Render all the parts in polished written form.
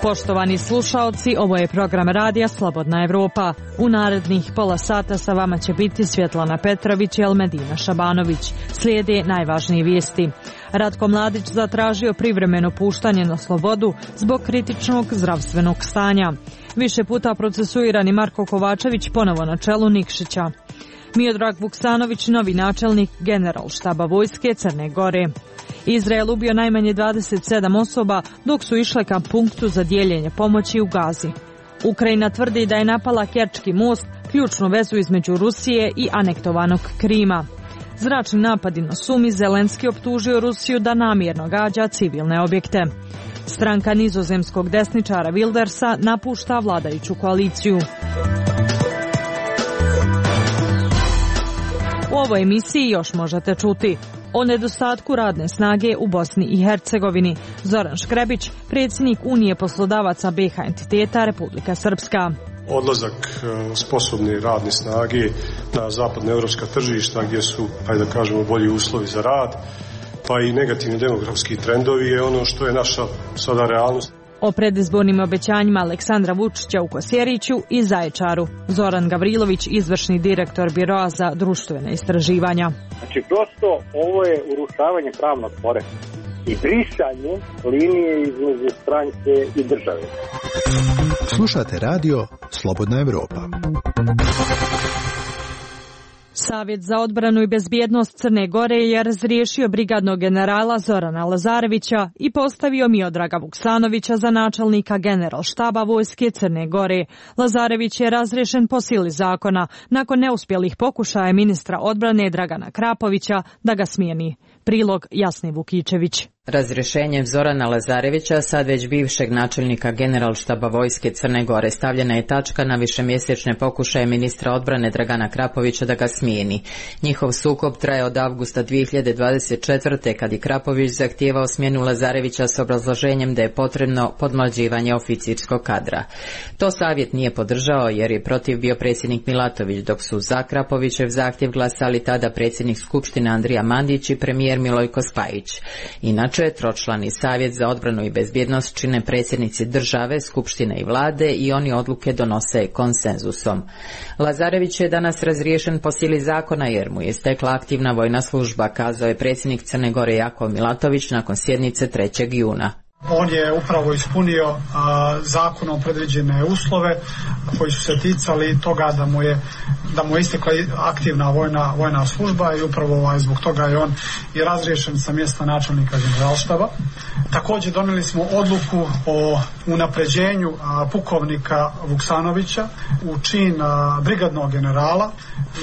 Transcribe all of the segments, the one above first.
Poštovani slušaoci, ovo je program radija Slobodna Evropa. U narednih pola sata sa vama će biti Svjetlana Petrović i Elmedina Šabanović. Slijede najvažnije vijesti. Ratko Mladić zatražio privremeno puštanje na slobodu zbog kritičnog zdravstvenog stanja. Više puta procesuirani Marko Kovačević ponovo na čelu Nikšića. Miodrag Vuksanović, novi načelnik Generalštaba vojske Crne Gore. Izrael ubio najmanje 27 osoba dok su išle ka punktu za dijeljenje pomoći u Gazi. Ukrajina tvrdi da je napala Kerčki most, ključnu vezu između Rusije i anektovanog Krima. Zračni napadi na Sumi, Zelenski optužio Rusiju da namjerno gađa civilne objekte. Stranka nizozemskog desničara Wildersa napušta vladajuću koaliciju. U ovoj emisiji još možete čuti o nedostatku radne snage u Bosni i Hercegovini. Zoran Škrebić, predsjednik Unije poslodavaca BiH entiteta Republika Srpska. Odlazak sposobne radne snage na zapadnoevropska tržišta gdje su, da kažemo, bolji uslovi za rad, pa i negativni demografski trendovi je ono što je naša sada realnost. O predizbornim obećanjima Aleksandra Vučića u Kosjeriću i Zaječaru. Zoran Gavrilović, izvršni direktor Biroa za društvene istraživanja. Znači, prosto ovo je urušavanje pravnog poretka i brisanje linije između stranke i države. Slušate radio Slobodna Evropa. Savjet za odbranu i bezbjednost Crne Gore je razriješio brigadnog generala Zorana Lazarevića i postavio Miodraga Vuksanovića za načelnika Generalštaba vojske Crne Gore. Lazarević je razriješen po sili zakona nakon neuspjelih pokušaja ministra odbrane Dragana Krapovića da ga smijeni. Prilog Jasni Vukičević. Razrješenjem Zorana Lazarevića, sad već bivšeg načelnika Generalštaba vojske Crne Gore, stavljena je tačka na višemjesečne pokušaje ministra odbrane Dragana Krapovića da ga smijeni. Njihov sukob traje od avgusta 2024. kad je Krapović zahtijevao smjenu Lazarevića s obrazloženjem da je potrebno podmlađivanje oficirskog kadra. To savjet nije podržao jer je protiv bio predsjednik Milatović, dok su za Krapovićev zahtjev glasali tada predsjednik Skupštine Andrija Mandić i premijer Milojko Spajić. Inače, tročlani savjet za odbranu i bezbjednost čine predsjednici države, skupštine i vlade i oni odluke donose konsenzusom. Lazarević je danas razriješen po sili zakona jer mu je stekla aktivna vojna služba, kazao je predsjednik Crne Gore Jakov Milatović nakon sjednice 3. juna. On je upravo ispunio zakonom predviđene uslove koji su se ticali toga da mu je istekla aktivna vojna služba i upravo zbog toga je on i razriješen sa mjesta načelnika Generalštaba. Također donijeli smo odluku o unapređenju pukovnika Vuksanovića u čin brigadnog generala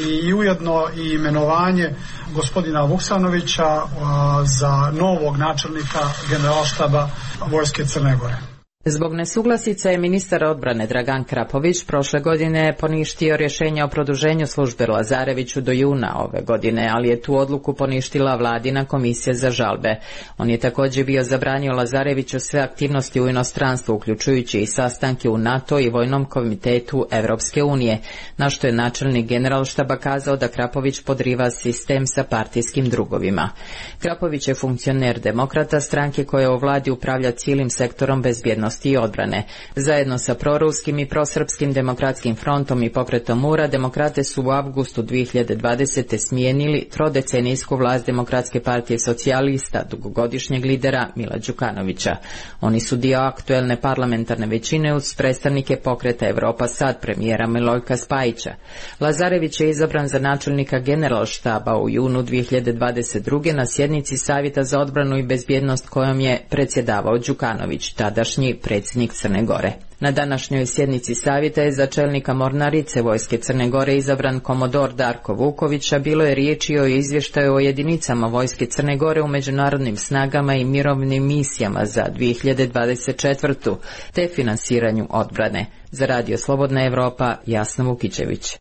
i ujedno i imenovanje gospodina Vuksanovića za novog načelnika Generalštaba vojske Crne Gore. Zbog nesuglasica je ministar odbrane Dragan Krapović prošle godine poništio rješenje o produženju službe Lazareviću do juna ove godine, ali je tu odluku poništila vladina komisija za žalbe. On je također bio zabranio Lazareviću sve aktivnosti u inostranstvu, uključujući i sastanke u NATO i Vojnom komitetu Evropske unije, na što je načelnik Generalštaba kazao da Krapović podriva sistem sa partijskim drugovima. Krapović je funkcioner Demokrata, stranke koja u vladi upravlja cijelim sektorom bezbjednosti i odbrane. Zajedno sa proruskim i prosrpskim demokratskim frontom i pokretom Mura, demokrate su u avgustu 2020. smijenili trodecenijsku vlast Demokratske partije socijalista, dugogodišnjeg lidera Mila Đukanovića. Oni su dio aktuelne parlamentarne većine uz predstavnike pokreta Evropa Sad premijera Milojka Spajića. Lazarević je izabran za načelnika Generalštaba u junu 2022. na sjednici Savjeta za odbranu i bezbjednost kojom je predsjedavao Đukanović, tadašnji predsjednik Crne Gore. Na današnjoj sjednici savjeta je za čelnika mornarice vojske Crne Gore izabran komodor Darko Vuković, a bilo je riječi o izvještaju o jedinicama vojske Crne Gore u međunarodnim snagama i mirovnim misijama za 2024. te finansiranju odbrane. Za Radio Slobodna Evropa, Jasna Vukičević.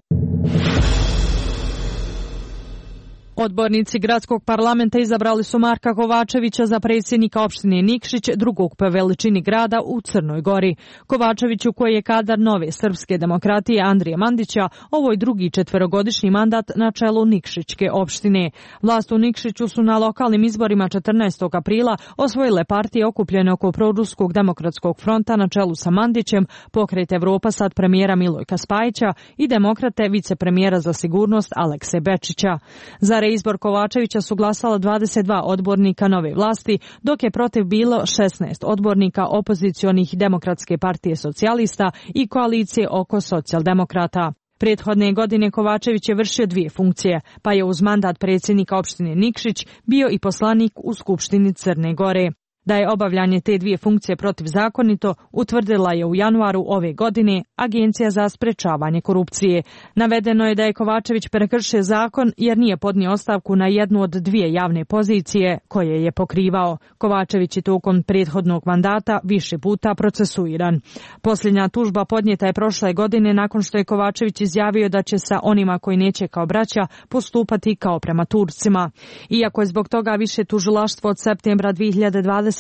Odbornici gradskog parlamenta izabrali su Marka Kovačevića za predsjednika opštine Nikšić, drugog po veličini grada u Crnoj Gori. Kovačeviću, koji je kadar Nove srpske demokratije Andrije Mandića, ovo je drugi četverogodišnji mandat na čelu Nikšićke opštine. Vlast u Nikšiću su na lokalnim izborima 14. aprila osvojile partije okupljene oko Proruskog demokratskog fronta na čelu sa Mandićem, Pokret Evropa sad premijera Milojka Spajića i demokrate vicepremijera za sigurnost Alekse Bečića. Za reizbor Kovačevića su glasala 22 odbornika nove vlasti, dok je protiv bilo 16 odbornika opozicionih Demokratske partije socijalista i koalicije oko socijaldemokrata. Prethodne godine Kovačević je vršio dvije funkcije, pa je uz mandat predsjednika opštine Nikšić bio i poslanik u Skupštini Crne Gore. Da je obavljanje te dvije funkcije protivzakonito, utvrdila je u januaru ove godine Agencija za sprečavanje korupcije. Navedeno je da je Kovačević prekršio zakon jer nije podnio ostavku na jednu od dvije javne pozicije koje je pokrivao. Kovačević je tokom prethodnog mandata više puta procesuiran. Posljednja tužba podnijeta je prošle godine nakon što je Kovačević izjavio da će sa onima koji neće kao braća postupati kao prema Turcima. Iako je zbog toga više tužilaštvo od septembra 2024.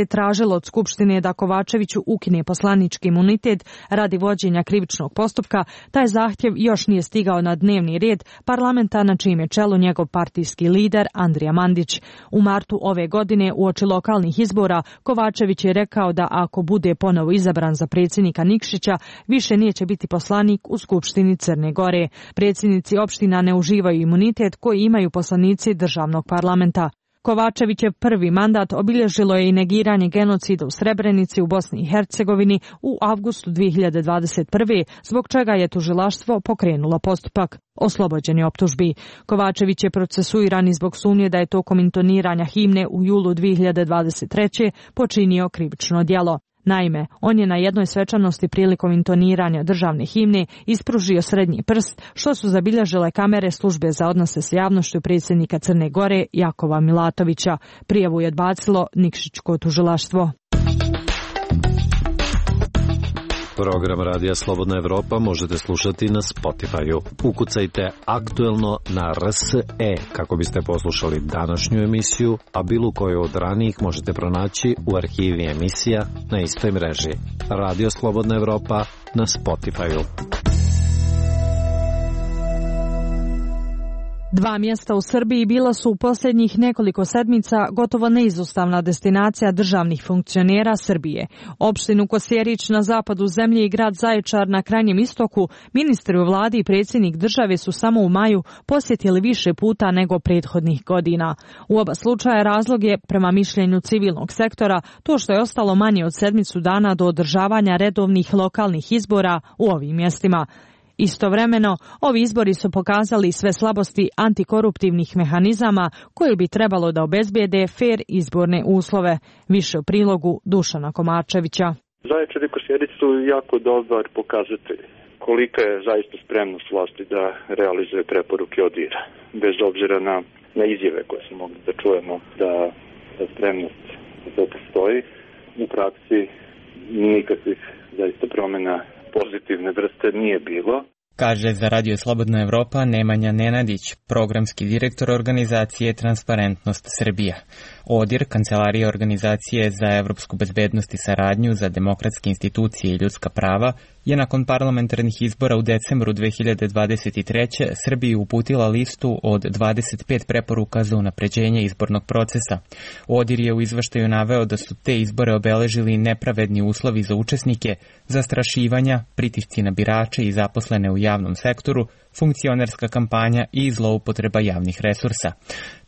tražilo od Skupštine da Kovačeviću ukine poslanički imunitet radi vođenja krivičnog postupka, taj zahtjev još nije stigao na dnevni red parlamenta na čijem je čelu njegov partijski lider Andrija Mandić. U martu ove godine uoči lokalnih izbora Kovačević je rekao da ako bude ponovo izabran za predsjednika Nikšića, više neće biti poslanik u Skupštini Crne Gore. Predsjednici opština ne uživaju imunitet koji imaju poslanici državnog parlamenta. Kovačevićev prvi mandat obilježilo je i negiranje genocida u Srebrenici u Bosni i Hercegovini u avgustu 2021. zbog čega je tužilaštvo pokrenulo postupak. Oslobođen je optužbi. Kovačević je procesuiran zbog sumnje da je tokom intoniranja himne u julu 2023. počinio krivično djelo. Naime, on je na jednoj svečanosti prilikom intoniranja državne himne ispružio srednji prst, što su zabilježile kamere službe za odnose s javnošću predsjednika Crne Gore Jakova Milatovića. Prijavu je odbacilo Nikšićko tužilaštvo. Program Radija Slobodna Evropa možete slušati na Spotify-u. Ukucajte aktuelno na RSE kako biste poslušali današnju emisiju, a bilo koju od ranijih možete pronaći u arhivi emisija na istoj mreži. Radio Slobodna Evropa na Spotify-u. Dva mjesta u Srbiji bila su u posljednjih nekoliko sedmica gotovo neizostavna destinacija državnih funkcionera Srbije. Opštinu Kosjerić na zapadu zemlje i grad Zaječar na krajnjem istoku, ministri u vladi i predsjednik države su samo u maju posjetili više puta nego prethodnih godina. U oba slučaja razlog je, prema mišljenju civilnog sektora, to što je ostalo manje od sedmicu dana do održavanja redovnih lokalnih izbora u ovim mjestima. Istovremeno, ovi izbori su pokazali sve slabosti antikoruptivnih mehanizama koji bi trebalo da obezbijede fer izborne uslove. Više u prilogu Dušana Komarčevića. Zaječar i Kosjerić su jako dobar pokazatelj kolika je zaista spremnost vlasti da realizuje preporuke ODIHR-a. Bez obzira na izjave koje smo mogli da čujemo da spremnost to postoji, u praksi nikakvih zaista promjena pozitivne vrste nije bilo. Kaže za Radio Slobodna Evropa Nemanja Nenadić, programski direktor organizacije Transparentnost Srbija. ODIHR, Kancelarija organizacije za evropsku bezbednost i saradnju za demokratske institucije i ljudska prava, je nakon parlamentarnih izbora u decembru 2023. Srbiji uputila listu od 25 preporuka za unapređenje izbornog procesa. ODIHR je u izveštaju naveo da su te izbore obeležili nepravedni uslovi za učesnike, zastrašivanja, pritisci na birače i zaposlene u javnom sektoru, funkcionerska kampanja i zloupotreba javnih resursa.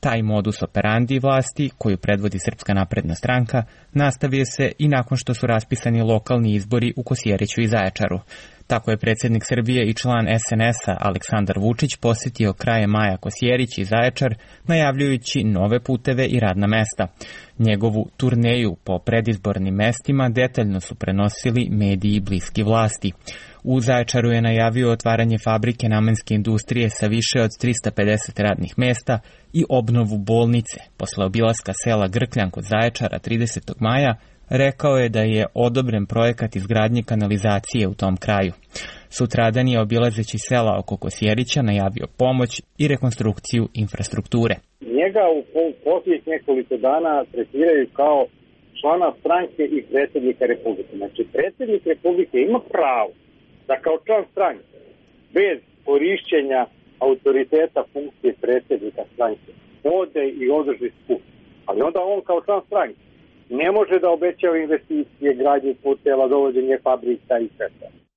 Taj modus operandi vlasti, koju predvodi Srpska napredna stranka, nastavio se i nakon što su raspisani lokalni izbori u Kosjeriću i Zaječaru. Tako je predsjednik Srbije i član SNS-a Aleksandar Vučić posjetio krajem maja Kosjerić i Zaječar, najavljujući nove puteve i radna mesta. Njegovu turneju po predizbornim mestima detaljno su prenosili mediji bliski vlasti. U Zaječaru je najavio otvaranje fabrike namenske industrije sa više od 350 radnih mesta i obnovu bolnice. Posle obilaska sela Grkljan kod Zaječara 30. maja, rekao je da je odobren projekat izgradnje kanalizacije u tom kraju. Sutradan je, obilazeći sela oko Kosjerića, najavio pomoć i rekonstrukciju infrastrukture. Njega u posljednjih nekoliko dana tretiraju kao člana stranke i predsjednika Republike. Znači, predsjednik Republike ima pravo da kao član stranke, bez korišćenja autoriteta funkcije predsjednika stranke, ode i održi skup. Ali onda on kao član stranke ne može da obećava investicije, gradnje puteva, dovođenje fabrika i sve.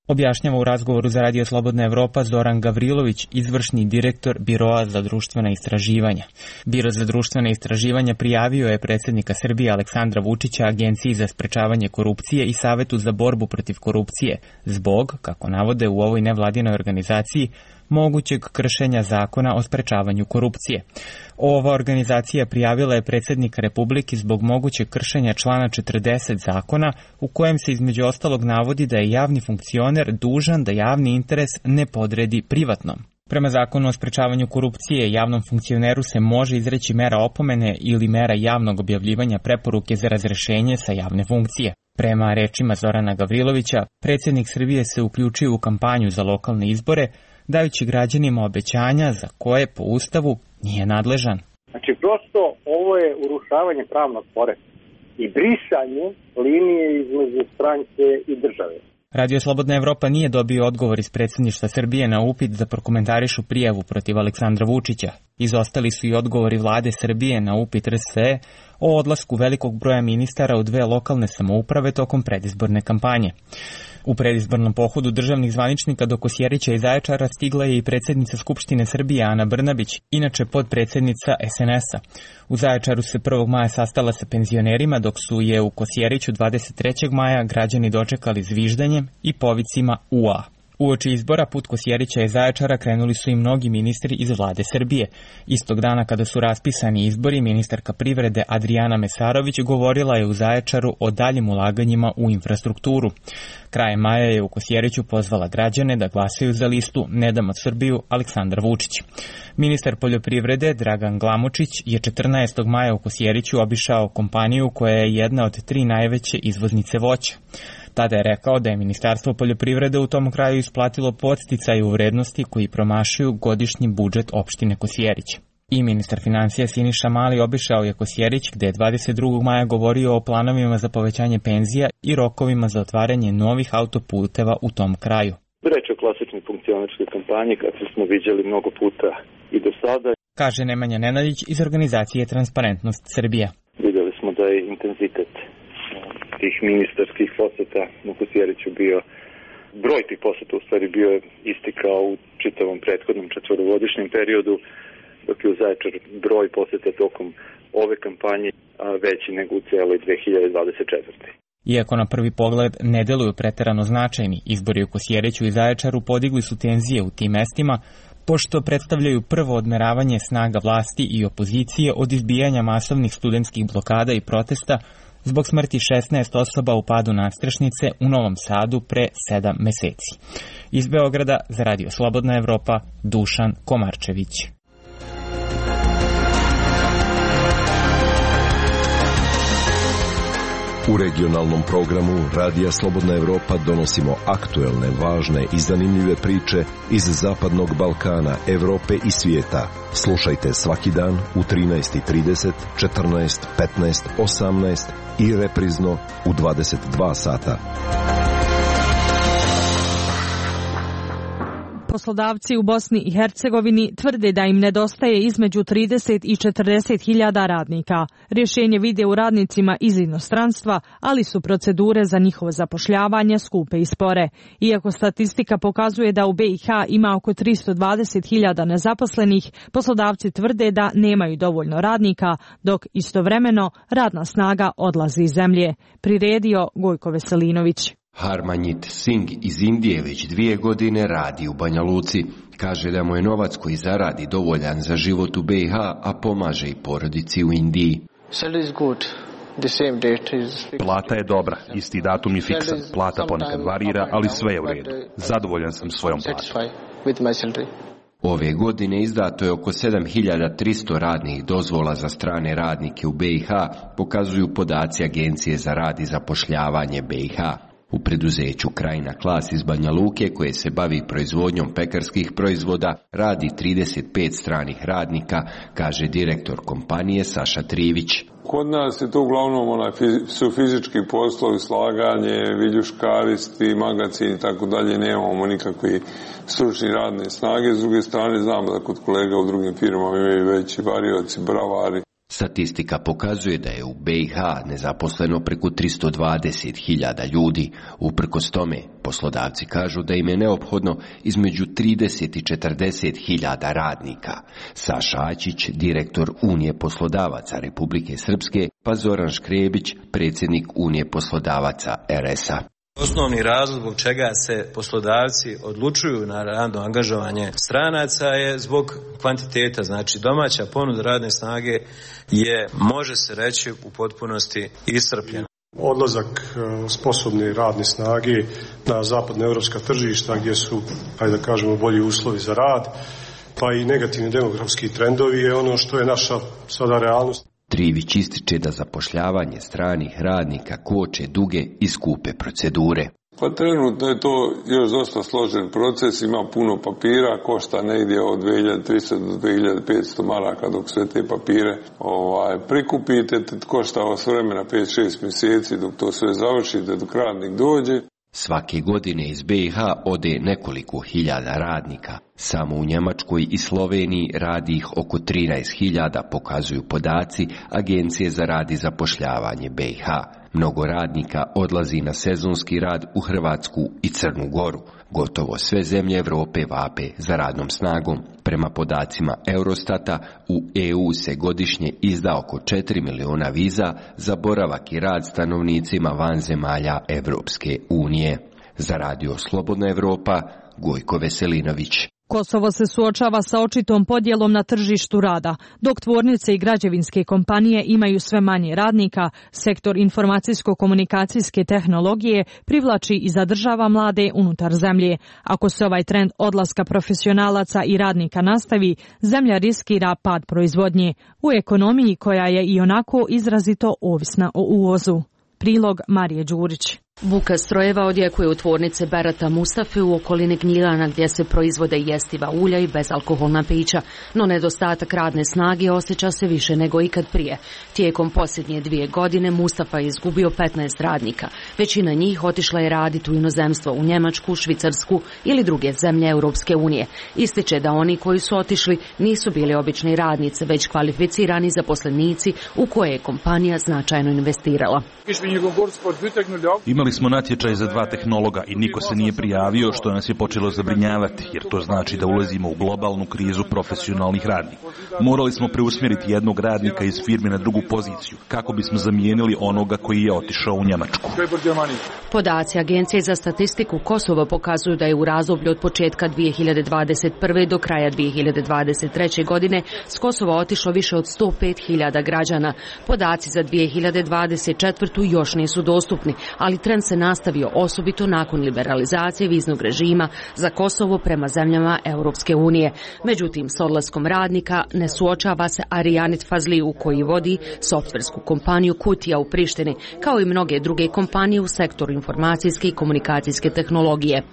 Objašnjava u razgovoru za Radio Slobodna Evropa Zoran Gavrilović, izvršni direktor Biroa za društvena istraživanja. Biro za društvena istraživanja prijavio je predsjednika Srbije Aleksandra Vučića Agenciji za sprečavanje korupcije i Savetu za borbu protiv korupcije zbog, kako navode u ovoj nevladinoj organizaciji, mogućeg kršenja zakona o sprečavanju korupcije. Ova organizacija prijavila je predsjednika Republike zbog mogućeg kršenja člana 40 zakona, u kojem se između ostalog navodi da je javni funkcioner dužan da javni interes ne podredi privatnom. Prema zakonu o sprečavanju korupcije, javnom funkcioneru se može izreći mera opomene ili mera javnog objavljivanja preporuke za razrešenje sa javne funkcije. Prema rečima Zorana Gavrilovića, predsjednik Srbije se uključio u kampanju za lokalne izbore, dajući građanima obećanja za koje po Ustavu nije nadležan. Znači, prosto ovo je urušavanje pravnog poretka i brisanje linije između stranke i države. Radio Slobodna Evropa nije dobio odgovor iz predsjedništva Srbije na upit da prokomentarišu prijavu protiv Aleksandra Vučića. Izostali su i odgovori vlade Srbije na upit RSE o odlasku velikog broja ministara u 2 lokalne samouprave tokom predizborne kampanje. U predizbornom pohodu državnih zvaničnika do Kosjerića i Zaječara stigla je i predsjednica Skupštine Srbije Ana Brnabić, inače podpredsjednica SNS-a. U Zaječaru se 1. maja sastala sa penzionerima, dok su je u Kosjeriću 23. maja građani dočekali zviždanjem i povicima UA. Uoči izbora put Kosjerića i Zaječara krenuli su i mnogi ministri iz vlade Srbije. Istog dana kada su raspisani izbori, ministarka privrede Adrijana Mesarović govorila je u Zaječaru o daljim ulaganjima u infrastrukturu. Krajem maja je u Kosjeriću pozvala građane da glasaju za listu Ne damo Srbiju Aleksandar Vučić. Ministar poljoprivrede Dragan Glamočić je 14. maja u Kosjeriću obišao kompaniju koja je jedna od 3 najveće izvoznice voća. Tada je rekao da je Ministarstvo poljoprivrede u tom kraju isplatilo podsticaje u vrednosti koji promašuju godišnji budžet opštine Kosjerić. I ministar financija Siniša Mali obišao je Kosjerić, gde je 22. maja govorio o planovima za povećanje penzija i rokovima za otvaranje novih autoputeva u tom kraju. Reč o klasičnoj funkcionerskoj kampanji, kako smo viđali mnogo puta i do sada, kaže Nemanja Nenadić iz organizacije Transparentnost Srbija. Vidjeli smo da je intenzitet tih ministarskih poseta u Kosjeriću bio, broj tih poseta u stvari bio isti kao u čitavom prethodnom 4-godišnjem periodu, dok je u Zaječaru broj poseta tokom ove kampanje veći nego u cijeloj 2024. Iako na prvi pogled ne deluju preterano značajni, izbori u Kosjeriću i Zaječaru podigli su tenzije u tim mestima, pošto predstavljaju prvo odmeravanje snaga vlasti i opozicije od izbijanja masovnih studentskih blokada i protesta zbog smrti 16 osoba u padu nadstrešnice u Novom Sadu pre 7 meseci. Iz Beograda za Radio Slobodna Evropa, Dušan Komarčević. U regionalnom programu Radija Slobodna Evropa donosimo aktuelne, važne i zanimljive priče iz Zapadnog Balkana, Evrope i svijeta. Slušajte svaki dan u 13:30, 14, 15, 18 i reprizno u 22 sata. Poslodavci u Bosni i Hercegovini tvrde da im nedostaje između 30 i 40 hiljada radnika. Rješenje vide u radnicima iz inostranstva, ali su procedure za njihovo zapošljavanje skupe i spore. Iako statistika pokazuje da u BiH ima oko 320 hiljada nezaposlenih, poslodavci tvrde da nemaju dovoljno radnika, dok istovremeno radna snaga odlazi iz zemlje. Priredio Gojko Veselinović. Harmanjit Singh iz Indije već 2 godine radi u Banja Luci. Kaže da mu je novac koji zaradi dovoljan za život u BiH, a pomaže i porodici u Indiji. Plata je dobra, isti datum je fiksan. Plata ponekad varira, ali sve je u redu. Zadovoljan sam svojom platom. Ove godine izdato je oko 7300 radnih dozvola za strane radnike u BiH, pokazuju podaci Agencije za rad i zapošljavanje BiH. U preduzeću Krajina Klas iz Banja Luke, koje se bavi proizvodnjom pekarskih proizvoda, radi 35 stranih radnika, kaže direktor kompanije Saša Trivić. Kod nas je to uglavnom su fizički poslovi, slaganje, viljuškaristi, magacin i tako dalje, nemamo nikakve stručne radne snage. S druge strane znamo da kod kolega u drugim firmama imaju veći varioci, bravari. Statistika pokazuje da je u BiH nezaposleno preko 320.000 ljudi. Uprkos tome, poslodavci kažu da im je neophodno između 30 i 40.000 radnika. Saša Ačić, direktor Unije poslodavaca Republike Srpske, pa Zoran Škrebić, predsjednik Unije poslodavaca RS-a. Osnovni razlog zbog čega se poslodavci odlučuju na radno angažovanje stranaca je zbog kvantiteta, znači domaća ponuda radne snage je, može se reći, u potpunosti iscrpljena. Odlazak sposobne radne snage na zapadnoevropska tržišta gdje su, ajde da kažemo, bolji uslovi za rad, pa i negativni demografski trendovi je ono što je naša sada realnost. Trivić ističe da zapošljavanje stranih radnika koče duge i skupe procedure. Pa trenutno je to još dosta složen proces, ima puno papira, košta negdje od 2300 do 2500 maraka dok sve te papire prikupite, košta vas vremena 5-6 mjeseci dok to sve završite, dok radnik dođe. Svake godine iz BiH ode nekoliko hiljada radnika. Samo u Njemačkoj i Sloveniji radi ih oko 13.000, pokazuju podaci Agencije za rad i zapošljavanje BiH. Mnogo radnika odlazi na sezonski rad u Hrvatsku i Crnu Goru. Gotovo sve zemlje Europe vape za radnom snagom. Prema podacima Eurostata, u EU se godišnje izda oko 4 miliona viza za boravak i rad stanovnicima van zemalja Evropske unije. Za Radio Slobodna Evropa, Gojko Veselinović. Kosovo se suočava sa očitom podjelom na tržištu rada. Dok tvornice i građevinske kompanije imaju sve manje radnika, sektor informacijsko-komunikacijske tehnologije privlači i zadržava mlade unutar zemlje. Ako se ovaj trend odlaska profesionalaca i radnika nastavi, zemlja riskira pad proizvodnje u ekonomiji koja je i onako izrazito ovisna o uvozu. Prilog Marije Đurić. Buka strojeva odjekuje u tvornice Berata Mustafe u okolini Gnjilana gdje se proizvode jestiva ulja i bezalkoholna pića, no nedostatak radne snage osjeća se više nego ikad prije. Tijekom posljednje 2 godine Mustafa je izgubio 15 radnika. Većina njih otišla je raditi u inozemstvo, u Njemačku, Švicarsku ili druge zemlje Europske unije. Ističe da oni koji su otišli nisu bili obični radnice, već kvalificirani zaposlenici u koje je kompanija značajno investirala. Imali smo natječaj za 2 tehnologa i niko se nije prijavio, što nas je počelo zabrinjavati, jer to znači da ulazimo u globalnu krizu profesionalnih radnika. Morali smo preusmjeriti jednog radnika iz firme na drugu poziciju, kako bismo zamijenili onoga koji je otišao u Njemačku. Podaci Agencije za statistiku Kosova pokazuju da je u razdoblju od početka 2021. do kraja 2023. godine s Kosova otišlo više od 105.000 građana. Podaci za 2024. još nisu dostupni, ali trend se nastavio osobito nakon liberalizacije viznog režima za Kosovo prema zemljama Europske unije. Međutim, s odlaskom radnika ne suočava se Arijanit Fazliju koji vodi softversku kompaniju Kutija u Prištini, kao i mnoge druge kompanije u sektoru informacijske i komunikacijske tehnologije.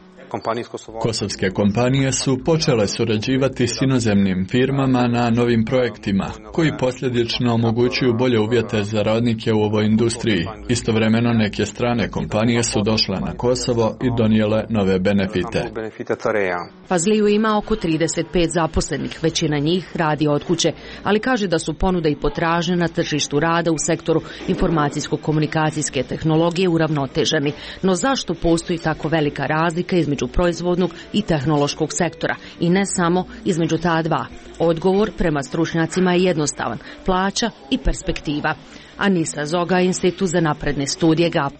Kosovske kompanije su počele surađivati s inozemnim firmama na novim projektima, koji posljedično omogućuju bolje uvjete za radnike u ovoj industriji. Istovremeno neke strane kompanije su došle na Kosovo i donijele nove benefite. Fazliju ima oko 35 zaposlenih, većina njih radi od kuće, ali kaže da su ponuda i potražnja na tržištu rada u sektoru informacijsko-komunikacijske tehnologije uravnoteženi. No zašto postoji tako velika razlika između proizvodnog i tehnološkog sektora i ne samo između ta dva? Odgovor prema stručnjacima je jednostavan: plaća i perspektiva. Anisa Zoga, Institut za napredne studije GAP.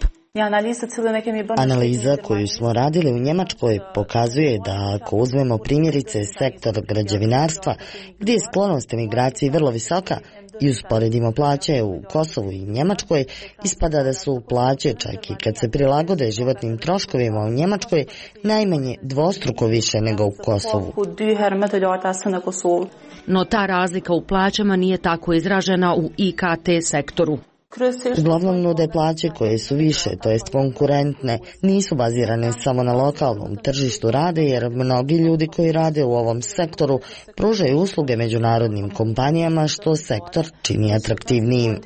Analiza koju smo radili u Njemačkoj pokazuje da ako uzmemo primjerice sektor građevinarstva, gdje je sklonost emigraciji vrlo visoka, i usporedimo plaće u Kosovu i Njemačkoj, ispada da su plaće, čak i kad se prilagode životnim troškovima u Njemačkoj, najmanje dvostruko više nego u Kosovu. No ta razlika u plaćama nije tako izražena u IKT sektoru. Uglavnom nude plaće koje su više, to jest konkurentne, nisu bazirane samo na lokalnom tržištu rada, jer mnogi ljudi koji rade u ovom sektoru pružaju usluge međunarodnim kompanijama, što sektor čini atraktivnijim.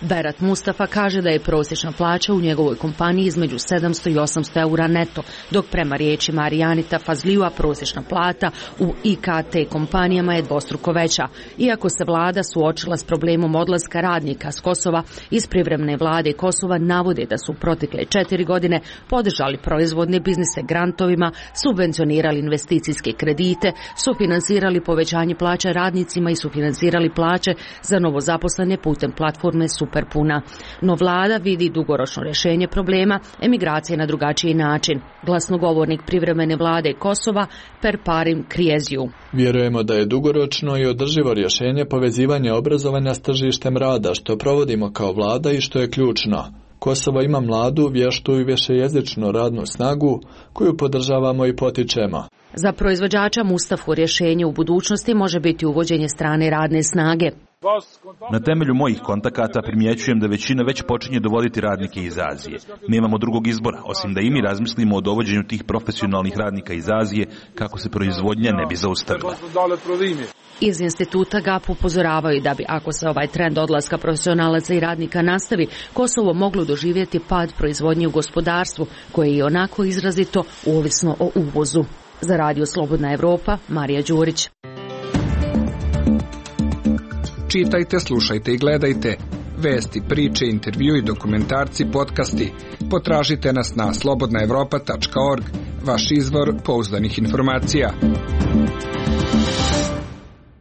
Berat Mustafa kaže da je prosječna plaća u njegovoj kompaniji između 700 i 800 eura neto, dok prema riječima Arijanita Fazlijua prosječna plata u IKT kompanijama je dvostruko veća. Iako se vlada suočila s problemom odlaska radnika s Kosova, iz privremene vlade Kosova navode da su protekle 4 godine podržali proizvodne biznise grantovima, subvencionirali investicijske kredite, sufinansirali povećanje plaća radnicima i sufinansirali plaće za novozaposlene putem platforme Superpuna. No vlada vidi dugoročno rješenje problema emigracije na drugačiji način. Glasnogovornik privremene vlade Kosova Perparim Krieziju. Vjerujemo da je dugoročno i održivo rješenje povezivanje obrazovanja s tržištem rada, što provodimo kao vlada i što je ključno. Kosovo ima mladu, vještu i višejezičnu radnu snagu koju podržavamo i potičemo. Za proizvođača Mustafu rješenje u budućnosti može biti uvođenje strane radne snage. Na temelju mojih kontakata primjećujem da većina već počinje dovoditi radnike iz Azije. Nemamo drugog izbora, osim da i mi razmislimo o dovođenju tih profesionalnih radnika iz Azije kako se proizvodnja ne bi zaustavila. Iz instituta GAP upozoravaju da bi, ako se ovaj trend odlaska profesionalaca i radnika nastavi, Kosovo moglo doživjeti pad proizvodnje u gospodarstvu, koje je onako izrazito ovisno o uvozu. Za Radio Slobodna Evropa, Marija Đurić. Čitajte, slušajte i gledajte. Vesti, priče, intervju i dokumentarci, podcasti. Potražite nas na slobodnaevropa.org, vaš izvor pouzdanih informacija.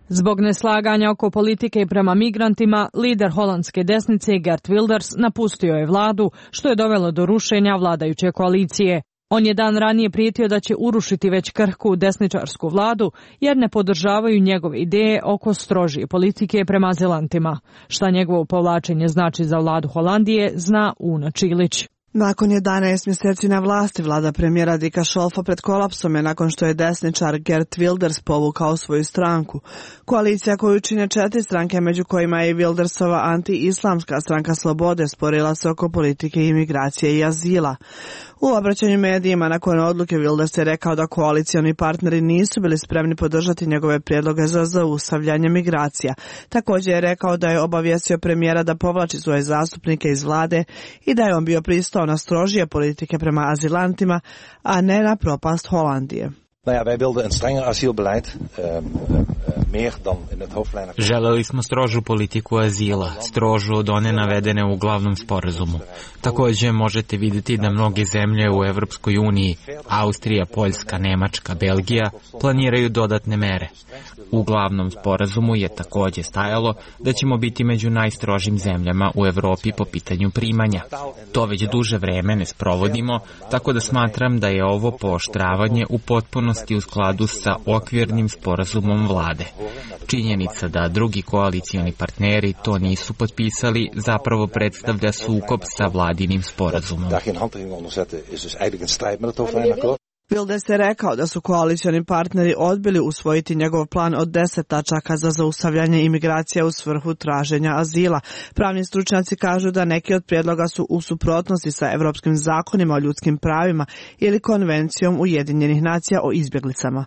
Zbog neslaganja oko politike prema migrantima, lider holandske desnice Geert Wilders napustio je vladu, što je dovelo do rušenja vladajuće koalicije. On je dan ranije prijetio da će urušiti već krhku desničarsku vladu jer ne podržavaju njegove ideje oko strožije politike prema azilantima. Šta njegovo povlačenje znači za vladu Holandije, zna Una Čilić. Nakon 11 mjeseci na vlasti, vlada premijera Dika Šolfa pred kolapsom je nakon što je desničar Geert Wilders povukao svoju stranku. Koalicija koju čine 4 stranke, među kojima je i Wildersova anti-islamska stranka Slobode, sporila se oko politike imigracije i azila. U obraćanju medijima nakon odluke Wilders je rekao da koalicioni partneri nisu bili spremni podržati njegove prijedloge za zaustavljanje migracija. Također je rekao da je obavijestio premijera da povlači svoje zastupnike iz vlade i da je on bio pristao na strožije politike prema azilantima, a ne na propast Holandije. Želeli smo strožu politiku azila, strožu od one navedene u glavnom sporazumu. Također možete vidjeti da mnoge zemlje u Evropskoj uniji, Austrija, Poljska, Nemačka, Belgija, planiraju dodatne mere. U glavnom sporazumu je također stajalo da ćemo biti među najstrožim zemljama u Europi po pitanju primanja. To već duže vreme ne sprovodimo, tako da smatram da je ovo pooštravanje u potpunosti u skladu sa okvirnim sporazumom vlade. Činjenica da drugi koalicioni partneri to nisu potpisali zapravo predstavlja sukob sa vladinim sporazumom. Wilders je rekao da su koalicioni partneri odbili usvojiti njegov plan od 10 tačaka za zaustavljanje imigracija u svrhu traženja azila. Pravni stručnjaci kažu da neki od prijedloga su u suprotnosti sa evropskim zakonima o ljudskim pravima ili konvencijom Ujedinjenih nacija o izbjeglicama.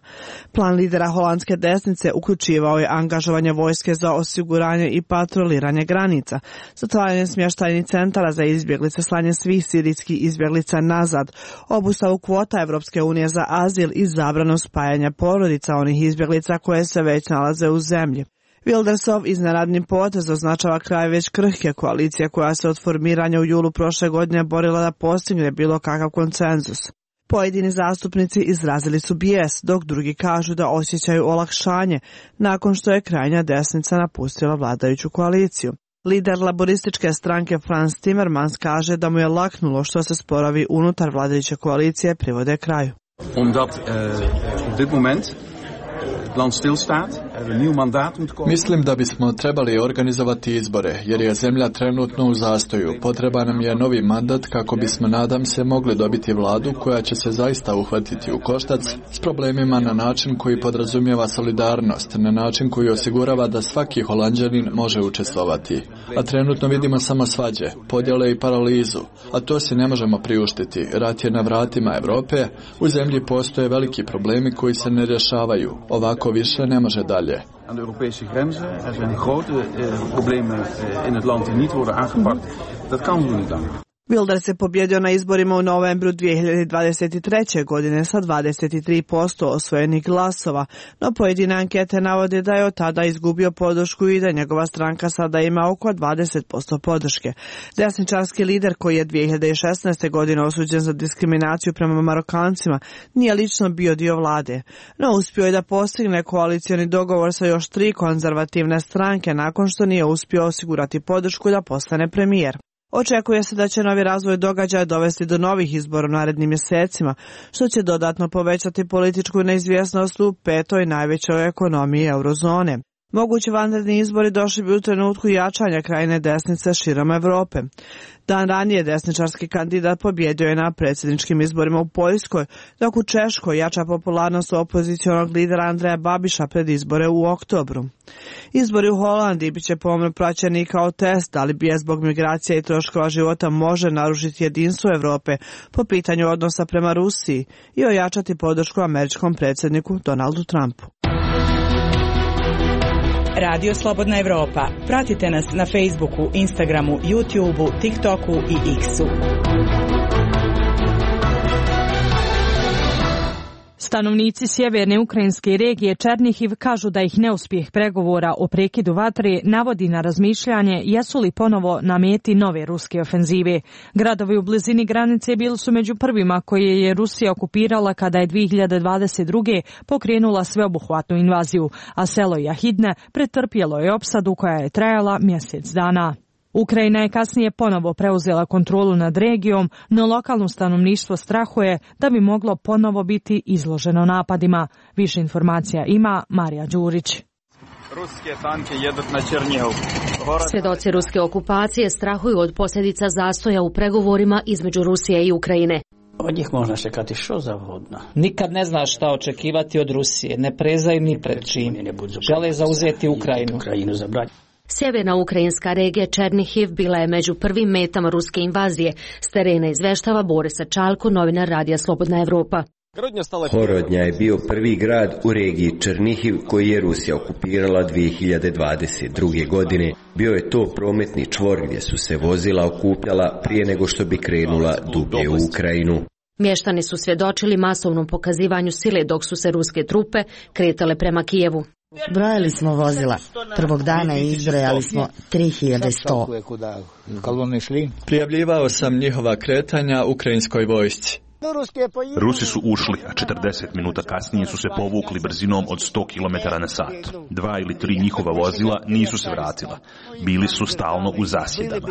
Plan lidera holandske desnice uključivao je angažovanje vojske za osiguranje i patroliranje granica, zatvaranje smještajnih centara za izbjeglice, slanje svih sirijskih izbjeglica nazad, obustavu kvota Evropske unije za azil i zabranu spajanja porodica onih izbjeglica koje se već nalaze u zemlji. Wildersov iznenadni potez označava kraj već krhke koalicije koja se od formiranja u julu prošle godine borila da postigne bilo kakav konsenzus. Pojedini zastupnici izrazili su bijes, dok drugi kažu da osjećaju olakšanje nakon što je krajnja desnica napustila vladajuću koaliciju. Lider laborističke stranke Frans Timmermans kaže da mu je laknulo što se sporovi unutar vladajuće koalicije privode kraju. Omdat op dit moment Mislim da bismo trebali organizovati izbore, jer je zemlja trenutno u zastoju. Potreban nam je novi mandat kako bismo, nadam se, mogli dobiti vladu koja će se zaista uhvatiti u koštac s problemima na način koji podrazumijeva solidarnost, na način koji osigurava da svaki Holanđanin može učestvovati. A trenutno vidimo samo svađe, podjele i paralizu, a to si ne možemo priuštiti. Rat je na vratima Europe, u zemlji postoje veliki problemi koji se ne rješavaju. Ovako više ne može dalje. Aan de Europese grenzen. Er zijn grote problemen in het land die niet worden aangepakt. Dat kan zo niet langer. Wilders je pobjedio na izborima u novembru 2023. godine sa 23% osvojenih glasova, no pojedine ankete navode da je od tada izgubio podršku i da njegova stranka sada ima oko 20% podrške. Desničarski lider koji je 2016. godine osuđen za diskriminaciju prema Marokancima nije lično bio dio vlade, no uspio je da postigne koalicioni dogovor sa još 3 konzervativne stranke nakon što nije uspio osigurati podršku da postane premijer. Očekuje se da će novi razvoj događaja dovesti do novih izbora u narednim mjesecima, što će dodatno povećati političku neizvjesnost u 5. najvećoj ekonomiji eurozone. Mogući vanredni izbori došli bi u trenutku jačanja krajne desnice širom Europe. Dan ranije desničarski kandidat pobjedio je na predsjedničkim izborima u Poljskoj, dok u Češkoj jača popularnost opozicionog lidera Andreja Babiša pred izbore u oktobru. Izbori u Holandiji bit će pomno praćeni kao test, ali bi zbog migracija i troškova života može narušiti jedinstvo Europe po pitanju odnosa prema Rusiji i ojačati podršku američkom predsjedniku Donaldu Trumpu. Radio Slobodna Evropa. Pratite nas na Facebooku, Instagramu, YouTubeu, TikToku i X-u. Stanovnici sjeverne ukrajinske regije Černihiv kažu da ih neuspjeh pregovora o prekidu vatre navodi na razmišljanje jesu li ponovo na meti nove ruske ofenzive. Gradovi u blizini granice bili su među prvima koje je Rusija okupirala kada je 2022. pokrenula sveobuhvatnu invaziju, a selo Jahidne pretrpjelo je opsadu koja je trajala mjesec dana. Ukrajina je kasnije ponovo preuzela kontrolu nad regijom, no lokalno stanovništvo strahuje da bi moglo ponovo biti izloženo napadima. Više informacija ima Marija Đurić. Svjedoci ruske okupacije strahuju od posljedica zastoja u pregovorima između Rusije i Ukrajine. Od njih možda čekati što zavodno. Nikad ne zna šta očekivati od Rusije, ne prezaju ni pred čim. Žele zauzeti Ukrajinu. Sjeverna ukrajinska regija Černihiv bila je među prvim metama ruske invazije. S terena izveštava Borisa Čalko, novinar Radija Slobodna Evropa. Horodnja je bio prvi grad u regiji Černihiv koji je Rusija okupirala 2022. godine. Bio je to prometni čvor gdje su se vozila okupljala prije nego što bi krenula dublje u Ukrajinu. Mještani su svjedočili masovnom pokazivanju sile dok su se ruske trupe kretale prema Kijevu. Brojali smo vozila. Prvog dana izbrojali smo 3100. Prijavljivao sam njihova kretanja ukrajinskoj vojsci. Rusi su ušli, a 40 minuta kasnije su se povukli brzinom od 100 km na sat. 2 ili 3 njihova vozila nisu se vratila. Bili su stalno u zasjedama.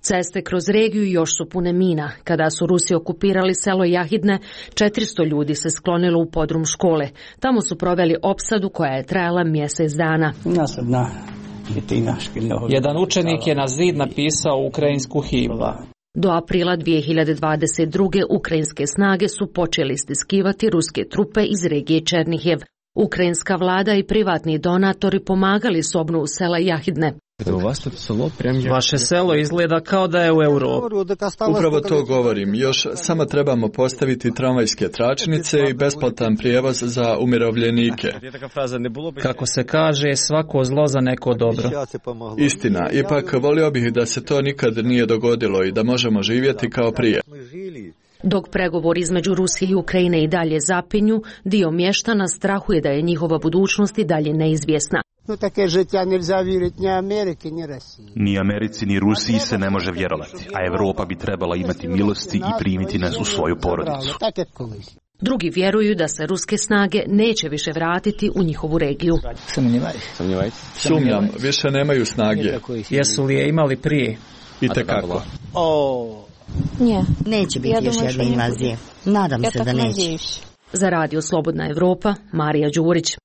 Ceste kroz regiju još su pune mina. Kada su Rusi okupirali selo Jahidne, 400 ljudi se sklonilo u podrum škole. Tamo su proveli opsadu koja je trajala mjesec dana. Jedan učenik je na zid napisao ukrajinsku himnu. Do aprila 2022. ukrajinske snage su počeli stiskivati ruske trupe iz regije Černihiv. Ukrajinska vlada i privatni donatori pomagali s obnovu sela Jahidne. Vaše selo izgleda kao da je u Europi. Upravo to govorim. Još samo trebamo postaviti tramvajske tračnice i besplatan prijevoz za umirovljenike. Kako se kaže, svako zlo za neko dobro. Istina, ipak volio bih da se to nikad nije dogodilo i da možemo živjeti kao prije. Dok pregovori između Rusije i Ukrajine i dalje zapinju, dio mještana strahuje da je njihova budućnost i dalje neizvjesna. Ni Americi ni Rusiji se ne može vjerovati, a Europa bi trebala imati milosti i primiti nas u svoju porodicu. Drugi vjeruju da se ruske snage neće više vratiti u njihovu regiju. Sumnjam, više nemaju snage. Jesu li je imali prije? Itekako. Neće biti još jedne invazije. Nadam se da neće. Za Radio Slobodna Evropa, Marija Đurić.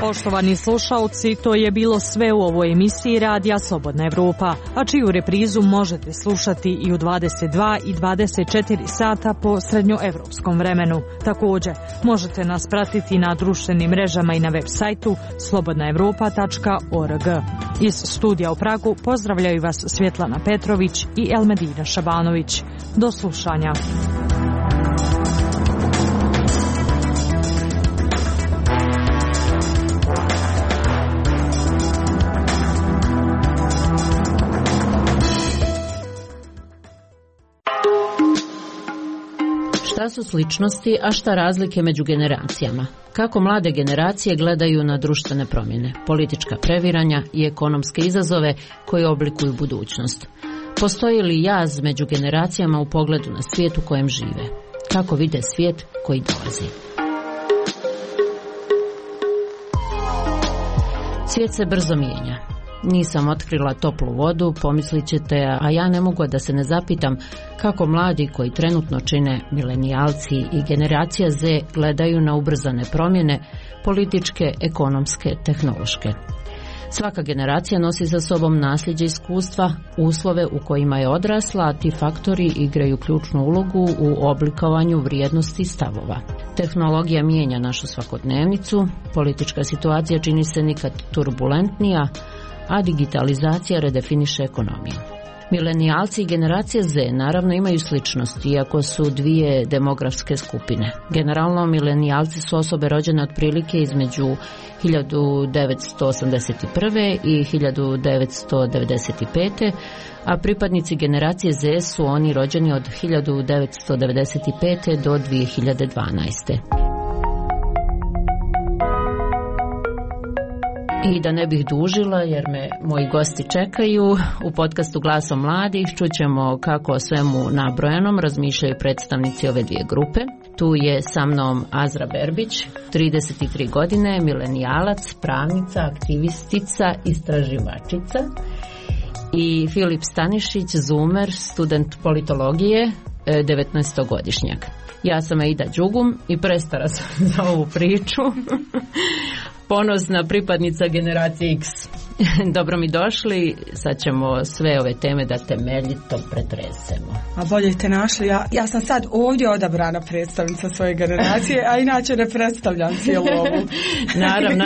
Poštovani slušalci, to je bilo sve u ovoj emisiji Radija Slobodna Evropa, a čiju reprizu možete slušati i u 22 i 24 sata po srednjoevropskom vremenu. Također, možete nas pratiti na društvenim mrežama i na web sajtu slobodnaevropa.org. Iz studija u Pragu pozdravljaju vas Svjetlana Petrović i Elmedina Šabanović. Do slušanja. Šta su sličnosti, a šta razlike među generacijama? Kako mlade generacije gledaju na društvene promjene, politička previranja i ekonomske izazove koji oblikuju budućnost? Postoji li jaz među generacijama u pogledu na svijet u kojem žive? Kako vide svijet koji dolazi? Svijet se brzo mijenja. Nisam otkrila toplu vodu, pomislit ćete, a ja ne mogu da se ne zapitam kako mladi koji trenutno čine milenijalci i generacija Z gledaju na ubrzane promjene, političke, ekonomske, tehnološke. Svaka generacija nosi za sobom nasljeđe iskustva, uslove u kojima je odrasla, a ti faktori igraju ključnu ulogu u oblikovanju vrijednosti i stavova. Tehnologija mijenja našu svakodnevnicu, politička situacija čini se nikad turbulentnija, a digitalizacija redefiniše ekonomiju. Milenijalci i generacija Z naravno imaju sličnosti, iako su dvije demografske skupine. Generalno, milenijalci su osobe rođene otprilike između 1981. i 1995. a pripadnici generacije Z su oni rođeni od 1995. do 2012. I da ne bih dužila, jer me moji gosti čekaju, u podcastu Glasom mladih čućemo kako o svemu nabrojanom razmišljaju predstavnici ove dvije grupe. Tu je sa mnom Azra Berbić, 33 godine, milenijalac, pravnica, aktivistica, istraživačica, i Filip Stanišić, zoomer, student politologije, 19-godišnjak. Ja sam Aida Đugum i prestara sam za ovu priču. Ponosna pripadnica generacije X. Dobro mi došli, sad ćemo sve ove teme da temeljito pretresemo. A bolje te našli, ja sam sad ovdje odabrana predstavnica svoje generacije, a inače ne predstavljam cijelu ovu. Naravno,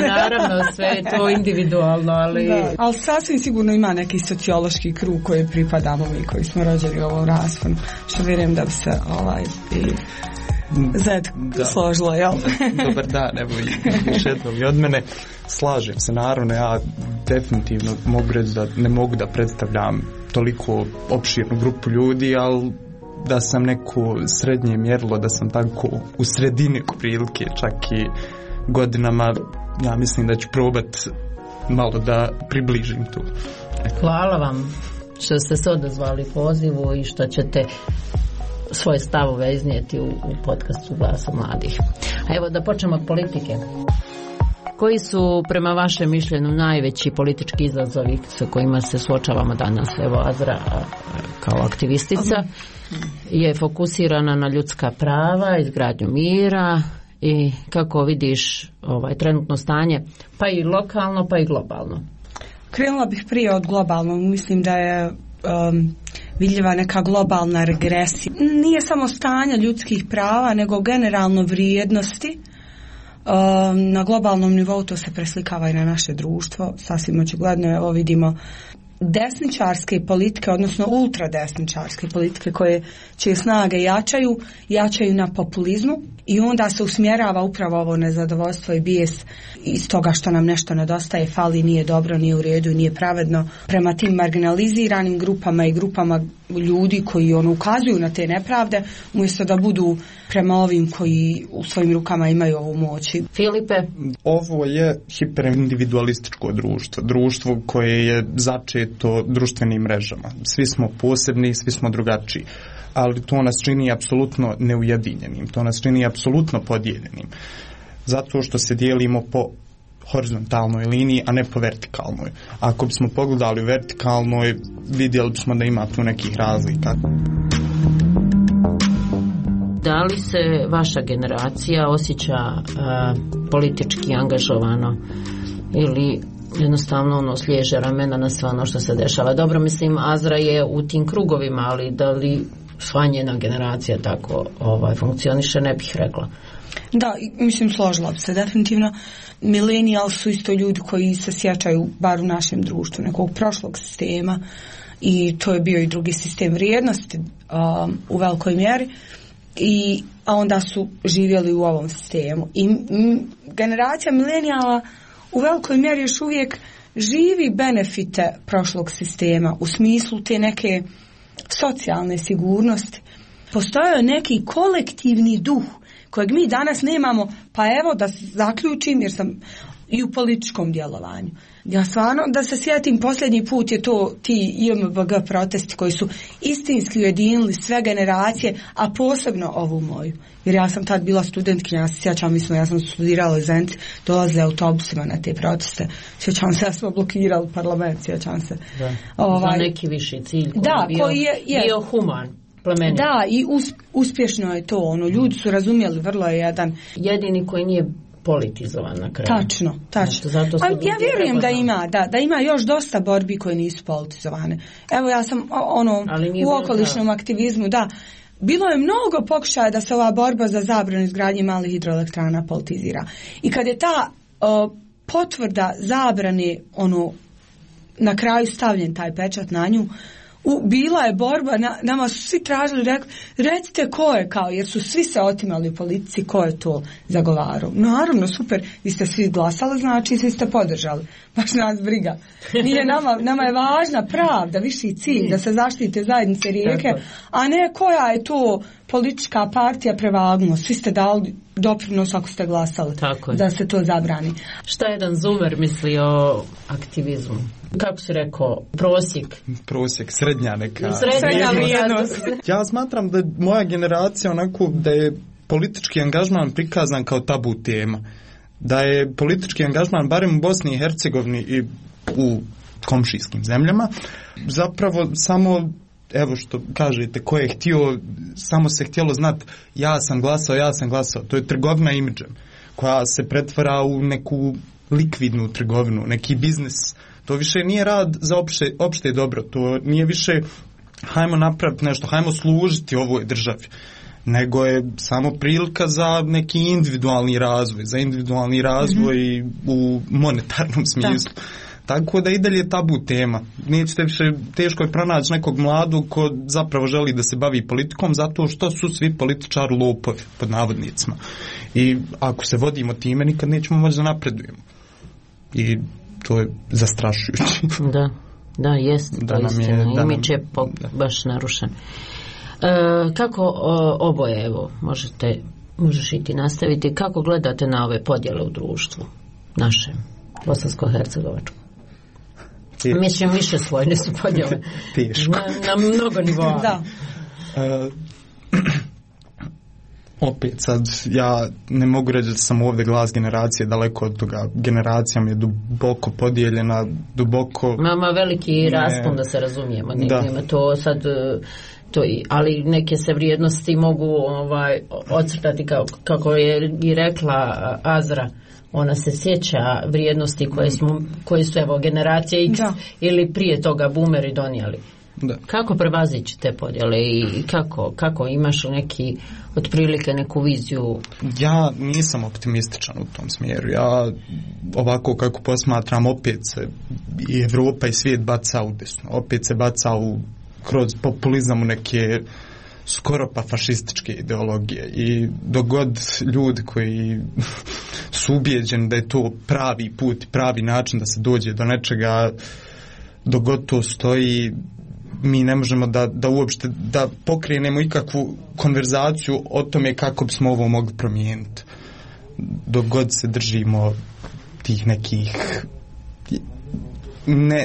sve je to individualno, ali... Da, ali sasvim sigurno ima neki sociološki krug koji pripadamo mi, koji smo rođeni u ovom rasponu, što vjerujem da bi se Zed složilo, jel? Dobar dan, evo još jednom i od mene. Slažem se, naravno, ja definitivno mogu reći da ne mogu da predstavljam toliko opširnu grupu ljudi, ali da sam neko srednje mjerilo, da sam tako u sredini prilike, čak i godinama, ja mislim da ću probat malo da približim tu. Hvala vam što ste se odazvali pozivu i što ćete svoje stavove iznijeti u podcastu Glasa mladih. A evo da počnemo od politike. Koji su prema vašem mišljenju najveći politički izazovi sa kojima se suočavamo danas? Evo Azra kao aktivistica je fokusirana na ljudska prava, izgradnju mira i kako vidiš trenutno stanje, pa i lokalno pa i globalno. Krenula bih prije od globalnog, mislim da je vidljiva neka globalna regresija. Nije samo stanje ljudskih prava, nego generalno vrijednosti. Na globalnom nivou to se preslikava i na naše društvo. Sasvim očigledno, evo vidimo desničarske politike, odnosno ultradesničarske politike čije snage jačaju na populizmu i onda se usmjerava upravo ovo nezadovoljstvo i bijes iz toga što nam nešto nedostaje, fali, nije dobro, nije u redu i nije pravedno prema tim marginaliziranim grupama i grupama ljudi koji ukazuju na te nepravde, umjesto da budu prema ovim koji u svojim rukama imaju ovu moć. Filipe? Ovo je hiperindividualističko društvo koje je začeto društvenim mrežama. Svi smo posebni, svi smo drugačiji, ali to nas čini apsolutno neujedinjenim, to nas čini apsolutno podijeljenim. Zato što se dijelimo po horizontalnoj liniji, a ne po vertikalnoj. Ako bismo pogledali u vertikalnoj, vidjeli bismo da ima tu nekih razlika. Da li se vaša generacija osjeća politički angažovano ili jednostavno sliježe ramena na sve ono što se dešava? Dobro, mislim, Azra je u tim krugovima, ali da li sva njena generacija tako funkcioniše, ne bih rekla. Da, mislim, složila bi se definitivno. Milenijal su isto ljudi koji se sjećaju, bar u našem društvu, nekog prošlog sistema, i to je bio i drugi sistem vrijednosti u velikoj mjeri, a onda su živjeli u ovom sistemu. I generacija milenijala u velikoj mjeri još uvijek živi benefite prošlog sistema u smislu te neke socijalne sigurnosti. Postojao je neki kolektivni duh kojeg mi danas nemamo, pa evo da zaključim, jer sam i u političkom djelovanju. Ja stvarno, da se sjetim, posljednji put je to ti IMBG protesti koji su istinski ujedinili sve generacije, a posebno ovu moju. Jer ja sam tad bila studentkinja, ja se sjećam, ja sam studirala u Zenici, dolazila autobusima na te proteste. Sjećam se, ja smo blokirali parlament, sjećam se. Za neki viši cilj koji bio human. Plemenit. Da, i uspješno je to, ljudi su razumjeli, vrlo je jedan. Jedini koji nije politizovan na kraju. Tačno. Ja vjerujem da ima još dosta borbi koje nisu politizovane. Evo, ja sam u okolišnom aktivizmu, da. Bilo je mnogo pokušaja da se ova borba za zabranu izgradnje malih hidroelektrana politizira. I kad je ta potvrda zabrane, na kraju stavljen taj pečat na nju, bila je borba, nama su svi tražili, recite ko je, jer su svi se otimali u politici, ko je to zagovarao. Naravno, super, vi ste svi glasali, znači svi ste podržali. Baš nas briga. Nije nama je važna pravda, viši cilj, da se zaštite zajednice rijeke, a ne koja je to politička partija prevagnuo. Svi ste dali doprinos ako ste glasali da se to zabrani. Šta jedan Zumer misli o aktivizmu? Kako si rekao, prosjek, srednja neka. Srednja vrijednost. Ja smatram da moja generacija onako da je politički angažman prikazan kao tabu tema. Da je politički angažman, barem u Bosni i Hercegovini i u komšijskim zemljama, zapravo samo, evo što kažete, ko je htio, samo se htjelo znati ja sam glasao. To je trgovina imidžem koja se pretvara u neku likvidnu trgovinu, neki biznis. To više nije rad za opšte dobro, to nije više hajmo napraviti nešto, hajmo služiti ovoj državi, nego je samo prilika za neki individualni razvoj, u monetarnom smislu. Tako da i dalje je tabu tema. Nećete više, teško je pronaći nekog mladog ko zapravo želi da se bavi politikom, zato što su svi političari lopovi, pod navodnicima. I ako se vodimo time, nikad nećemo moći da napredujemo. I to je zastrašujuće. Da, jest. Imidž je baš narušen. Kako oboje, evo, možeš i ti nastaviti, kako gledate na ove podjele u društvu našem, bosansko-hercegovačkom? Mislim, više slojne su podjele. Teško. Na mnogo nivoa. Da. Opet sad, ja ne mogu reći da sam ovdje glas generacije, daleko od toga. Generacija mi je duboko podijeljena, Mama veliki raspon, da se razumijemo. Nema to sad... ali neke se vrijednosti mogu ocrtati kako je i rekla Azra. Ona se sjeća vrijednosti koje su evo generacije X ili prije toga boomeri donijeli. Da. Kako prevazići te podjele i kako imaš neki otprilike neku viziju? Ja nisam optimističan u tom smjeru. Ja ovako kako posmatram, opet se i Evropa i svijet baca u desno. Opet se baca kroz populizam u neke skoro pa fašističke ideologije. I dok god ljudi koji su ubijeđeni da je to pravi put, pravi način da se dođe do nečega, dok god to stoji, mi ne možemo da uopšte da pokrenemo ikakvu konverzaciju o tome kako bismo ovo mogli promijeniti. Dok god se držimo tih nekih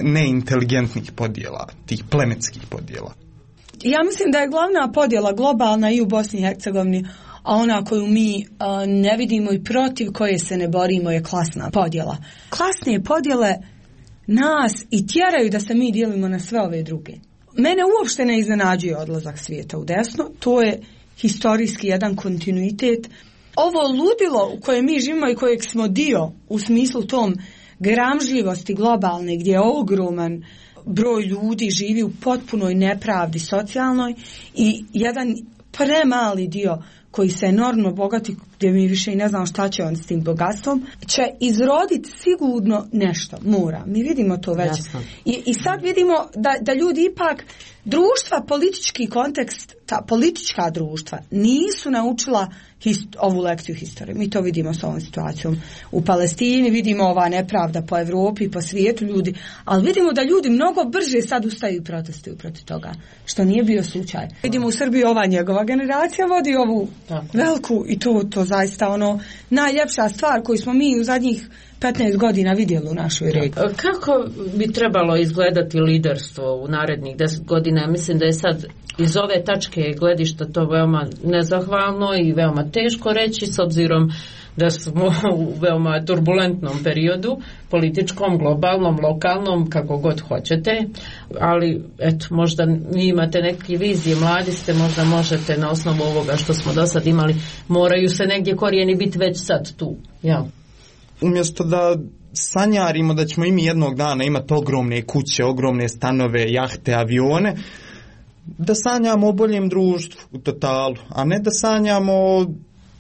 neinteligentnih podjela, tih plemenskih podjela. Ja mislim da je glavna podjela globalna i u Bosni i Hercegovini, a ona koju mi ne vidimo i protiv koje se ne borimo je klasna podjela. Klasne podjele nas i tjeraju da se mi dijelimo na sve ove druge. Mene uopšte ne iznenađuje odlazak svijeta u desno, to je historijski jedan kontinuitet. Ovo ludilo u kojem mi živimo i kojeg smo dio u smislu tom gramžljivosti globalne, gdje je ogroman broj ljudi živi u potpunoj nepravdi socijalnoj i jedan premali dio koji se enormno bogati, gdje mi više i ne znamo šta će on s tim bogatstvom, će izroditi sigurno nešto, mora. Mi vidimo to već. I sad vidimo da ljudi ipak, društva, politički kontekst, ta politička društva nisu naučila ovu lekciju historije. Mi to vidimo s ovom situacijom u Palestini, vidimo ova nepravda po Europi i po svijetu ljudi, ali vidimo da ljudi mnogo brže sad ustaju i protestuju protiv toga, što nije bio slučaj. Vidimo u Srbiji ova njegova generacija vodi ovu veliku i to zaista ono najljepša stvar koju smo mi u zadnjih 15 godina vidjeli u našoj regiji. Kako bi trebalo izgledati liderstvo u narednih 10 godina? Ja mislim da je sad iz ove tačke gledišta to veoma nezahvalno i veoma teško reći, s obzirom da smo u veoma turbulentnom periodu, političkom, globalnom, lokalnom, kako god hoćete, ali eto, možda vi imate neke vizije, mladi ste, možda možete na osnovu ovoga što smo do sad imali, moraju se negdje korijeni biti već sad tu, ja. Umjesto da sanjarimo da ćemo i mi jednog dana imati ogromne kuće, ogromne stanove, jahte, avione, da sanjamo o boljem društvu u totalu, a ne da sanjamo o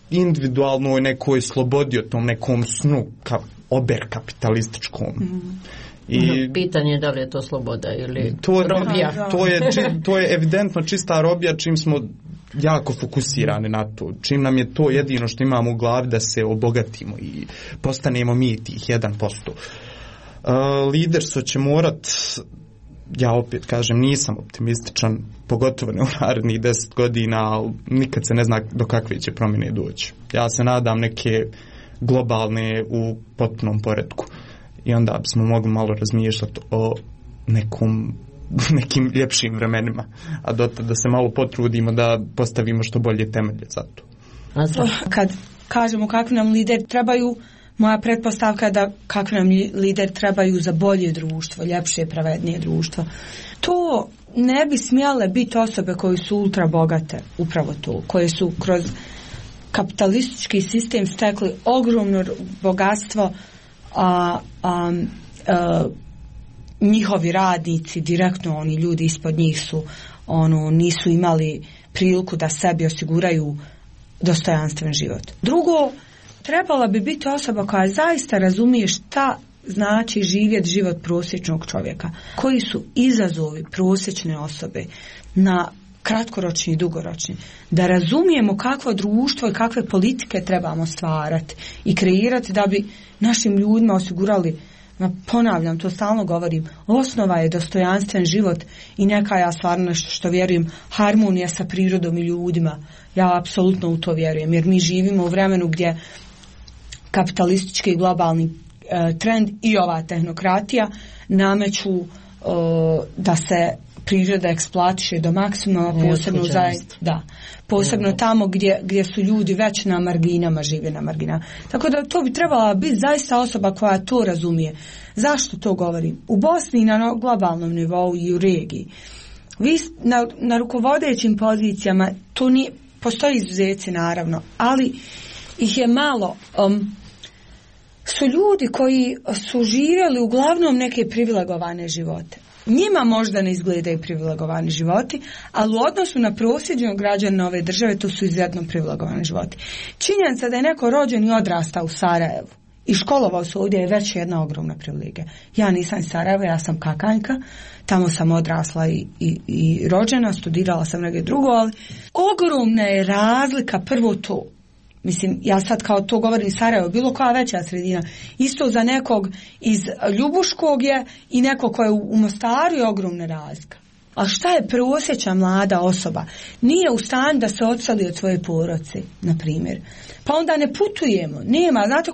individualnoj nekoj slobodi, o tom nekom snu oberkapitalističkom. I pitanje je da li je to sloboda ili robija. To je evidentno čista robija, čim smo jako fokusirani na to, čim nam je to jedino što imamo u glavi da se obogatimo i postanemo mi tih 1%. Liderstvo će morat, ja opet kažem, nisam optimističan, pogotovo ne u narednih 10 godina, ali nikad se ne zna do kakve će promjene doći. Ja se nadam neke globalne u potpunom poretku i onda bismo mogli malo razmišljati o nekim ljepšim vremenima, a dotad da se malo potrudimo da postavimo što bolje temelje za to. Kad kažemo kakvi nam lideri trebaju, moja pretpostavka je da kakvi nam lideri trebaju za bolje društvo, ljepše, pravednije društvo. To ne bi smjele biti osobe koje su ultra bogate, upravo to, koje su kroz kapitalistički sistem stekli ogromno bogatstvo, njihovi radnici, direktno oni ljudi ispod njih su nisu imali priliku da sebi osiguraju dostojanstven život. Drugo, trebala bi biti osoba koja zaista razumije šta znači živjeti život prosječnog čovjeka. Koji su izazovi prosječne osobe na kratkoročni i dugoročni. Da razumijemo kakvo društvo i kakve politike trebamo stvarati i kreirati da bi našim ljudima osigurali, ponavljam, to stalno govorim, osnova je dostojanstven život i neka, ja stvarno nešto što vjerujem, harmonija sa prirodom i ljudima. Ja apsolutno u to vjerujem, jer mi živimo u vremenu gdje kapitalistički i globalni trend i ova tehnokratija nameću da se priroda eksploatiše do maksimuma, posebno tamo gdje su ljudi već na marginama, žive na marginama. Tako da to bi trebala biti zaista osoba koja to razumije. Zašto to govorim? U Bosni na globalnom nivou i u regiji. Vi na rukovodećim pozicijama, to nije, postoji izuzeci naravno, ali ih je malo. Su ljudi koji su živjeli uglavnom neke privilegovane živote. Njima možda ne izgledaju privilegovani životi, ali u odnosu na prosječnog građana ove države to su izuzetno privilegovani životi. Činjenica da je neko rođen i odrastao u Sarajevu i školovao se ovdje je već jedna ogromna privilegija. Ja nisam iz Sarajeva, ja sam Kakanjka, tamo sam odrasla i rođena, studirala sam negdje drugo, ali ogromna je razlika, prvo to. Mislim, ja sad kao to govorim Sarajevo, bilo koja veća sredina. Isto za nekog iz Ljubuškog je i nekog ko je u Mostaru je ogromna razlika. A šta je prosječna mlada osoba? Nije u stanju da se odseli od svoje porodice, na primjer. Pa onda ne putujemo. Nema, znate,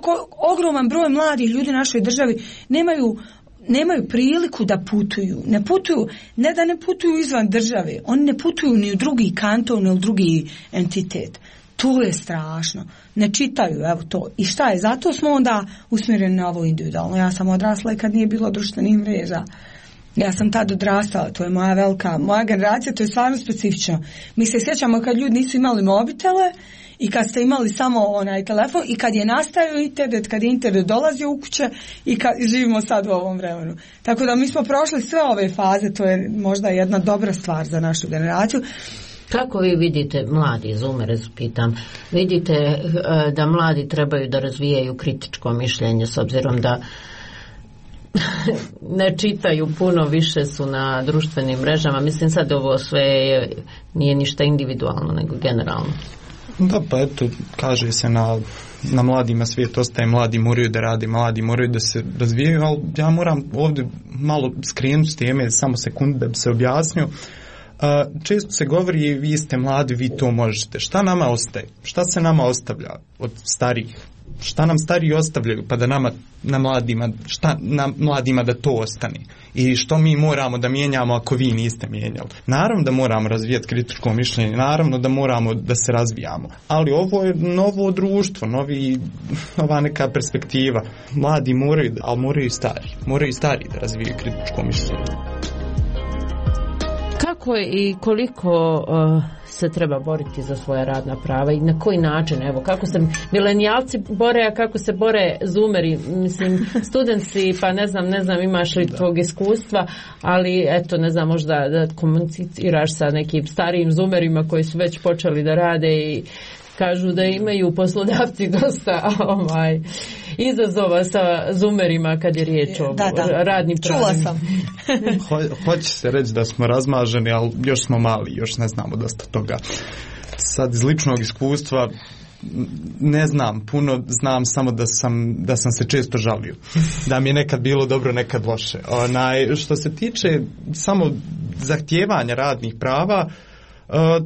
ogroman broj mladih ljudi u našoj državi nemaju priliku da putuju. Ne da ne putuju izvan države, oni ne putuju ni u drugi kanton, ni u drugi entitet. To je strašno. Ne čitaju, evo to. I šta je? Zato smo onda usmjereni na ovo individualno. Ja sam odrasla i kad nije bilo društvenih mreža. Ja sam tad odrastala, to je moja generacija, to je stvarno specifično. Mi se sjećamo kad ljudi nisu imali mobitele i kad ste imali samo onaj telefon i kad je nastajao internet, kad je internet dolazio u kuće i kad živimo sad u ovom vremenu. Tako da mi smo prošli sve ove faze, to je možda jedna dobra stvar za našu generaciju. Kako vi vidite, mladi zoomere, pitam, vidite da mladi trebaju da razvijaju kritičko mišljenje s obzirom da ne čitaju puno, više su na društvenim mrežama. Mislim sad ovo sve nije ništa individualno nego generalno. Da, pa eto, kaže se na mladima svijet ostaje, mladi moraju da rade, mladi moraju da se razvijaju, ali ja moram ovdje malo skrenuti s teme, samo sekundu da bi se objasnio. Često se govori, vi ste mladi, vi to možete. Šta nama ostaje? Šta se nama ostavlja od starijih? Šta nam stariji ostavljaju pa da nama na mladima da to ostane? I što mi moramo da mijenjamo ako vi niste mijenjali? Naravno da moramo razvijati kritičko mišljenje, naravno da moramo da se razvijamo. Ali ovo je novo društvo, nova neka perspektiva. Mladi moraju, ali moraju i stari da razvijaju kritičko mišljenje. Kako i koliko se treba boriti za svoja radna prava i na koji način, evo, kako se milenijalci bore, a kako se bore zoomeri, mislim, studenti, pa ne znam imaš li tvog iskustva, ali eto, ne znam, možda da komuniciraš sa nekim starijim zoomerima koji su već počeli da rade i kažu da imaju poslodavci dosta izazova sa zoomerima kad je riječ o radnim pravima. Čula sam. Hoće se reći da smo razmaženi, ali još smo mali, još ne znamo dosta toga. Sad iz ličnog iskustva ne znam puno, znam samo da sam se često žalio. Da mi je nekad bilo dobro, nekad loše. Što se tiče samo zahtijevanja radnih prava,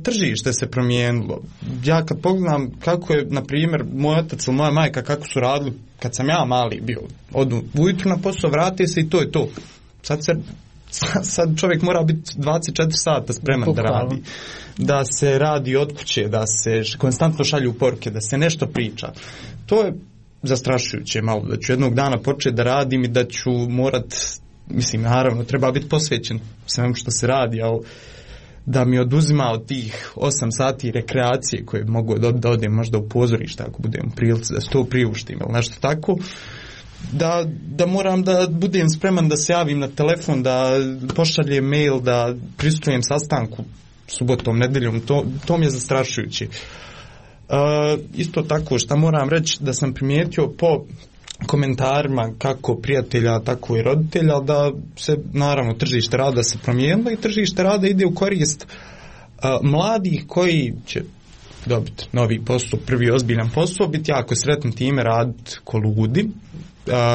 tržište se promijenilo. Ja kad pogledam kako je, na primjer, moj otac ili moja majka kako su radili kad sam ja mali bio. Odu ujutru na posao, vrati se i to je to. Sad čovjek mora biti 24 sata spreman da radi. Da se radi od kuće, da se konstantno šalju poruke, da se nešto priča. To je zastrašujuće malo, da ću jednog dana početi da radim i da ću morat, mislim, naravno, treba biti posvećen svemu što se radi, ali da mi oduzima od tih 8 sati rekreacije koje mogu da odem možda u pozorište ako budem u prilici da se to priuštim ili nešto tako, da moram da budem spreman da se javim na telefon, da pošaljem mail, da prisustujem sastanku subotom, nedeljom, to mi je zastrašujuće. Isto tako što moram reći da sam primijetio po komentarima kako prijatelja, tako i roditelja, da se naravno tržište rada se promijenilo i tržište rada ide u korist mladih koji će dobiti novi posao, prvi ozbiljan posao, biti jako sretni time, raditi ko ludi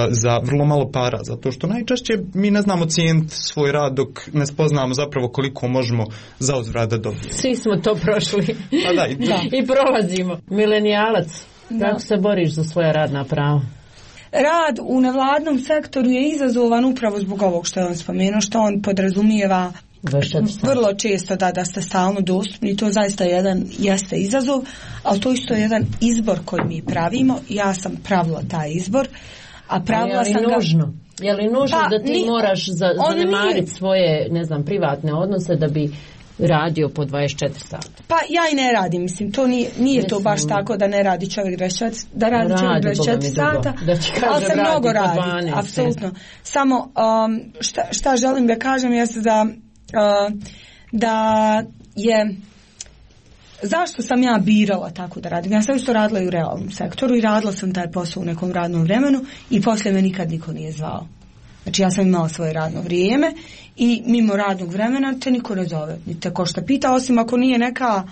za vrlo malo para, zato što najčešće mi ne znamo cijeniti svoj rad dok ne spoznamo zapravo koliko možemo za uzvrat da dobijemo. Svi smo to prošli. I prolazimo. Milenijalac, kako se boriš za svoja radna prava? Rad u nevladnom sektoru je izazovan upravo zbog ovog što je on spomenuo, što on podrazumijeva vrlo često da ste stalno dostupni. To zaista jeste izazov, ali to isto je jedan izbor koji mi pravimo. Ja sam pravila taj izbor, a pravila sam ga... nužno? Je li nužno da ti moraš zanemariti svoje, ne znam, privatne odnose da bi radio po 24 sata? Pa ja i ne radim, mislim, to nije to baš tako da ne radi čovjek 24, da radi čovjek 24 sata, ali se mnogo radi, apsolutno. Samo šta želim da kažem jeste da je zašto sam ja birala tako da radim. Ja sam isto radila i u realnom sektoru i radila sam taj posao u nekom radnom vremenu i poslije me nikad niko nije zvao. Znači ja sam imala svoje radno vrijeme i mimo radnog vremena te niko ne zove, ni te ko šta pita, osim ako nije neka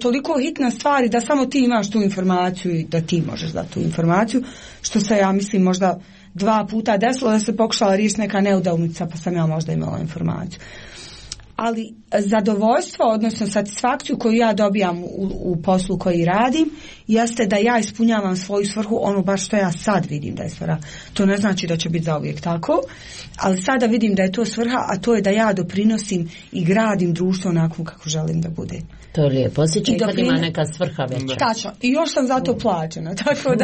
toliko hitna stvar da samo ti imaš tu informaciju i da ti možeš dati tu informaciju, što se ja mislim možda 2 puta desilo da se pokušala riješiti neka neudavnica pa sam ja možda imala informaciju. ali zadovoljstvo, odnosno satisfakciju koju ja dobijam u poslu koji radim, jeste da ja ispunjavam svoju svrhu, ono baš što ja sad vidim da je svrha. To ne znači da će biti zauvijek tako, ali sada vidim da je to svrha, a to je da ja doprinosim i gradim društvo onako kako želim da bude. To je lijepo, osjećaj kad ima neka svrha veća. Tačno, i još sam za to plaćena, tako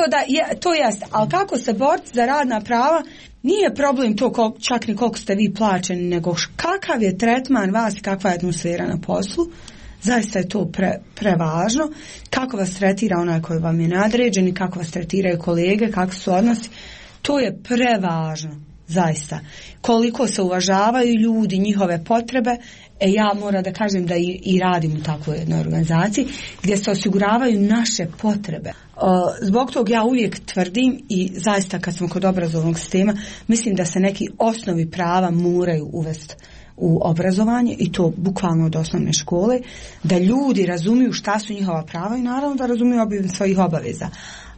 da to jeste. Ali kako se boriti za radna prava, nije problem to čak ni koliko ste vi plaćeni, nego kakav je tretman vas i kakva je atmosfera na poslu. Zaista je to prevažno. Kako vas tretira onaj koji vam je nadređen i kako vas tretiraju kolege, kakvi su odnosi. To je prevažno, zaista. Koliko se uvažavaju ljudi, njihove potrebe. Ja moram da kažem da i radim u takvoj jednoj organizaciji gdje se osiguravaju naše potrebe. Zbog toga ja uvijek tvrdim i zaista kad smo kod obrazovnog sistema, mislim da se neki osnovi prava moraju uvesti u obrazovanje i to bukvalno od osnovne škole, da ljudi razumiju šta su njihova prava i naravno da razumiju svojih obaveza,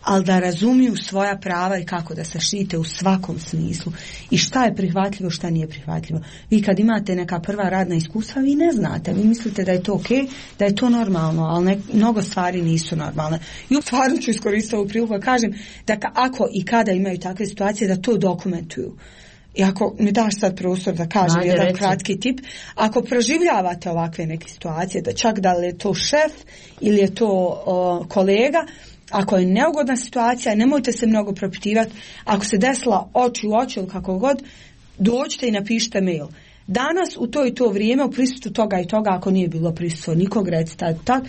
ali da razumiju svoja prava i kako da se štite u svakom smislu i šta je prihvatljivo, šta nije prihvatljivo. Vi kad imate neka prva radna iskustva, vi ne znate, vi mislite da je to okej, da je to normalno, ali mnogo stvari nisu normalne. I stvarno ću iskoristiti ovu priliku da kažem da ako i kada imaju takve situacije, da to dokumentuju. I ako mi daš sad prostor da kažem jedan kratki tip, ako proživljavate ovakve neke situacije, da čak da li je to šef ili je to kolega, ako je neugodna situacija, nemojte se mnogo propitivati. Ako se desila oči u oči ili kako god, dođite i napišite mail. Danas u to i to vrijeme u prisustvu toga i toga, ako nije bilo prisustvo nikog, recite tak,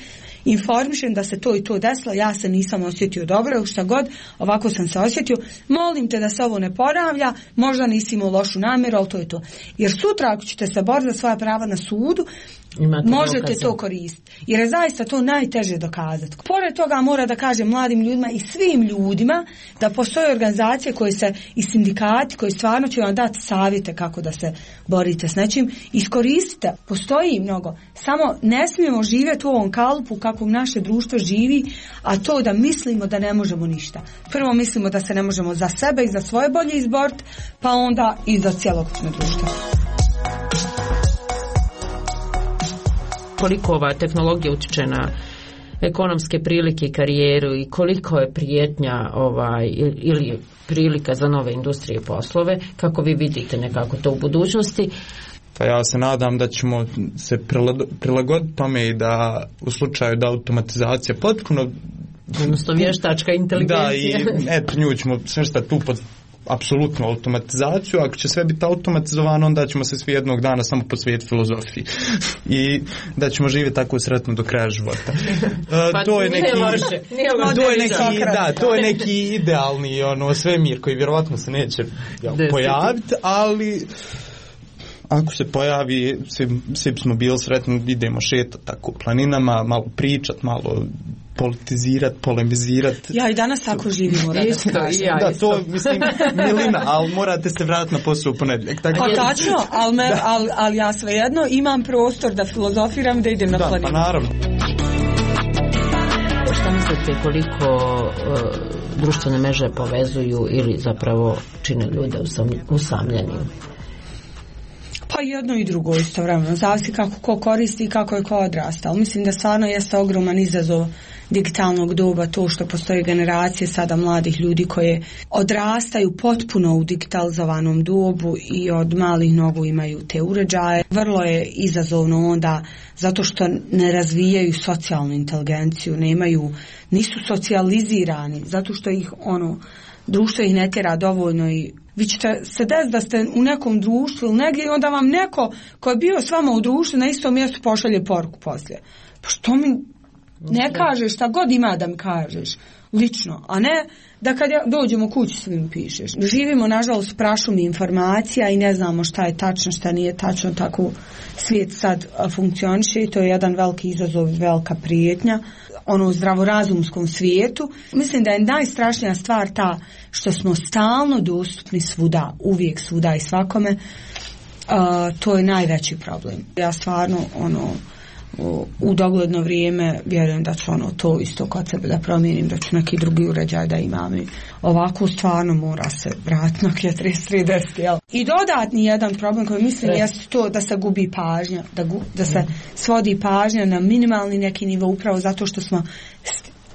informišem da se to i to desilo, ja se nisam osjetio dobro, šta god, ovako sam se osjetio, molim te da se ovo ne ponavlja, možda nisi imao lošu namjeru, ali to je to. Jer sutra ako ćete se boriti za svoja prava na sudu, možete to koristiti. Jer je zaista to najteže dokazati. Pored toga mora da kažem mladim ljudima i svim ljudima da postoje organizacije koje se i sindikati koji stvarno će vam dati savjete kako da se borite s nečim. Iskoristite, postoji mnogo. Samo ne smijemo živjeti u ovom kalupu kako naše društvo živi, a to da mislimo da ne možemo ništa. Prvo mislimo da se ne možemo za sebe i za svoje bolje izboriti, pa onda i za cjelokupno društvo. Koliko ova tehnologija utječe na ekonomske prilike i karijeru i koliko je prijetnja ili prilika za nove industrije i poslove, kako vi vidite nekako to u budućnosti? Pa ja se nadam da ćemo se prilagoditi tome i da u slučaju da automatizacija potpuno, odnosno vještačka inteligencija, da i nju ćemo smještati tu pod apsolutnu automatizaciju. Ako će sve biti automatizovano, onda ćemo se svi jednog dana samo posvetiti filozofiji i da ćemo živjeti tako sretno do kraja života. To je neki idealni svemir koji vjerovatno se neće pojaviti, ali ako se pojavi, svi smo bili sretni, idemo šetati tako planinama, malo pričati, malo politizirati, polemizirati. Ja i danas tako živimo. Da, to mislim milina, ali morate se vratiti na posao u ponedjeljak. Tačno, ali ja svejedno imam prostor da filozofiram, da idem na planinu. Pa naravno. Šta mislite koliko društvene mreže povezuju ili zapravo čine ljude usamljenim? Pa jedno i drugo istovremeno, zavisi kako ko koristi i kako je ko odrastao. Mislim da stvarno jeste ogroman izazov digitalnog doba to što postoje generacije sada mladih ljudi koje odrastaju potpuno u digitalizovanom dobu i od malih nogu imaju te uređaje. Vrlo je izazovno onda zato što ne razvijaju socijalnu inteligenciju, nisu socijalizirani, zato što ih društvo ih ne tjera dovoljno i vi ćete se desiti da ste u nekom društvu ili negdje i onda vam neko ko je bio s vama u društvu na istom mjestu pošalje poruku poslije. Pa što mi ne kažeš, šta god ima da mi kažeš lično, a ne da kad dođemo kući svim pišeš. Živimo nažalost prašumi informacija i ne znamo šta je tačno, šta nije tačno, tako svijet sad funkcioniše i to je jedan veliki izazov, velika prijetnja u zdravorazumskom svijetu. Mislim da je najstrašnija stvar ta što smo stalno dostupni svuda, uvijek svuda i svakome. To je najveći problem. Ja stvarno u dogledno vrijeme vjerujem da ću to isto kod sebe da promijenim, da ću neki drugi uređaj da imam. I ovako stvarno mora se vratiti na 3310. I dodatni jedan problem koji mislim jeste to da se gubi pažnja, da se svodi pažnja na minimalni neki nivo upravo zato što smo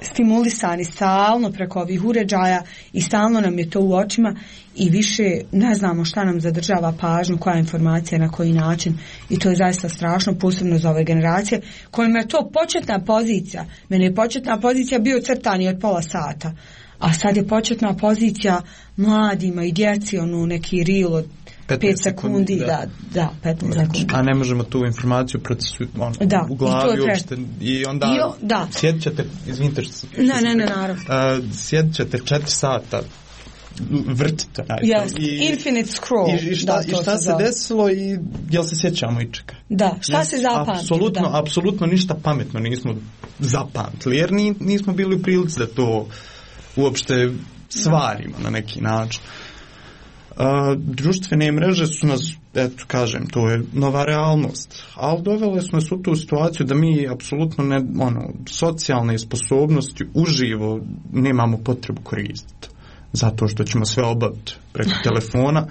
stimulisani stalno preko ovih uređaja i stalno nam je to u očima i više ne znamo šta nam zadržava pažnju, koja informacija, na koji način i to je zaista strašno, posebno za ove generacije kojima je to početna pozicija. Meni je početna pozicija bio crtani od pola sata, a sad je početna pozicija mladima i djeci, neki reel od 5 sekundi, da, 15 sekundi. A ne možemo tu informaciju u glavi uopšte i onda sjedit ćete, izvinite što ne, naravno. Sjedit ćete 4 sata, vrtite. Infinite scroll. I šta se desilo i jel se sjećamo ičega? Da, šta se zapamtilo? Apsolutno ništa pametno nismo zapamtili, jer nismo bili u prilici da to uopšte stvarimo na neki način. Društvene mreže su nas, eto kažem, to je nova realnost, ali dovele su nas u tu situaciju da mi apsolutno socijalne sposobnosti uživo nemamo potrebu koristiti, zato što ćemo sve obaviti preko telefona.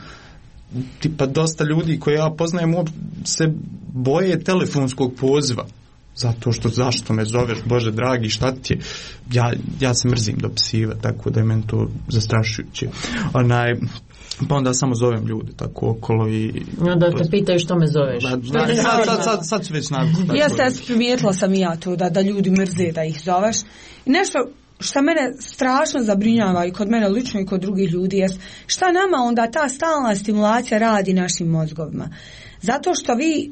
Tipa dosta ljudi koje ja poznajem se boje telefonskog poziva, zato što zašto me zoveš, Bože dragi, šta ti je? Ja se mrzim dopisivati, tako da je meni to zastrašujuće. Pa onda samo zovem ljude tako okolo i... Da te pitaju što me zoveš. Sad su već navikli. Jeste, primijetila sam i ja to da ljudi mrze da ih zoveš. I nešto što mene strašno zabrinjava i kod mene lično i kod drugih ljudi jest šta nama onda ta stalna stimulacija radi našim mozgovima. Zato što vi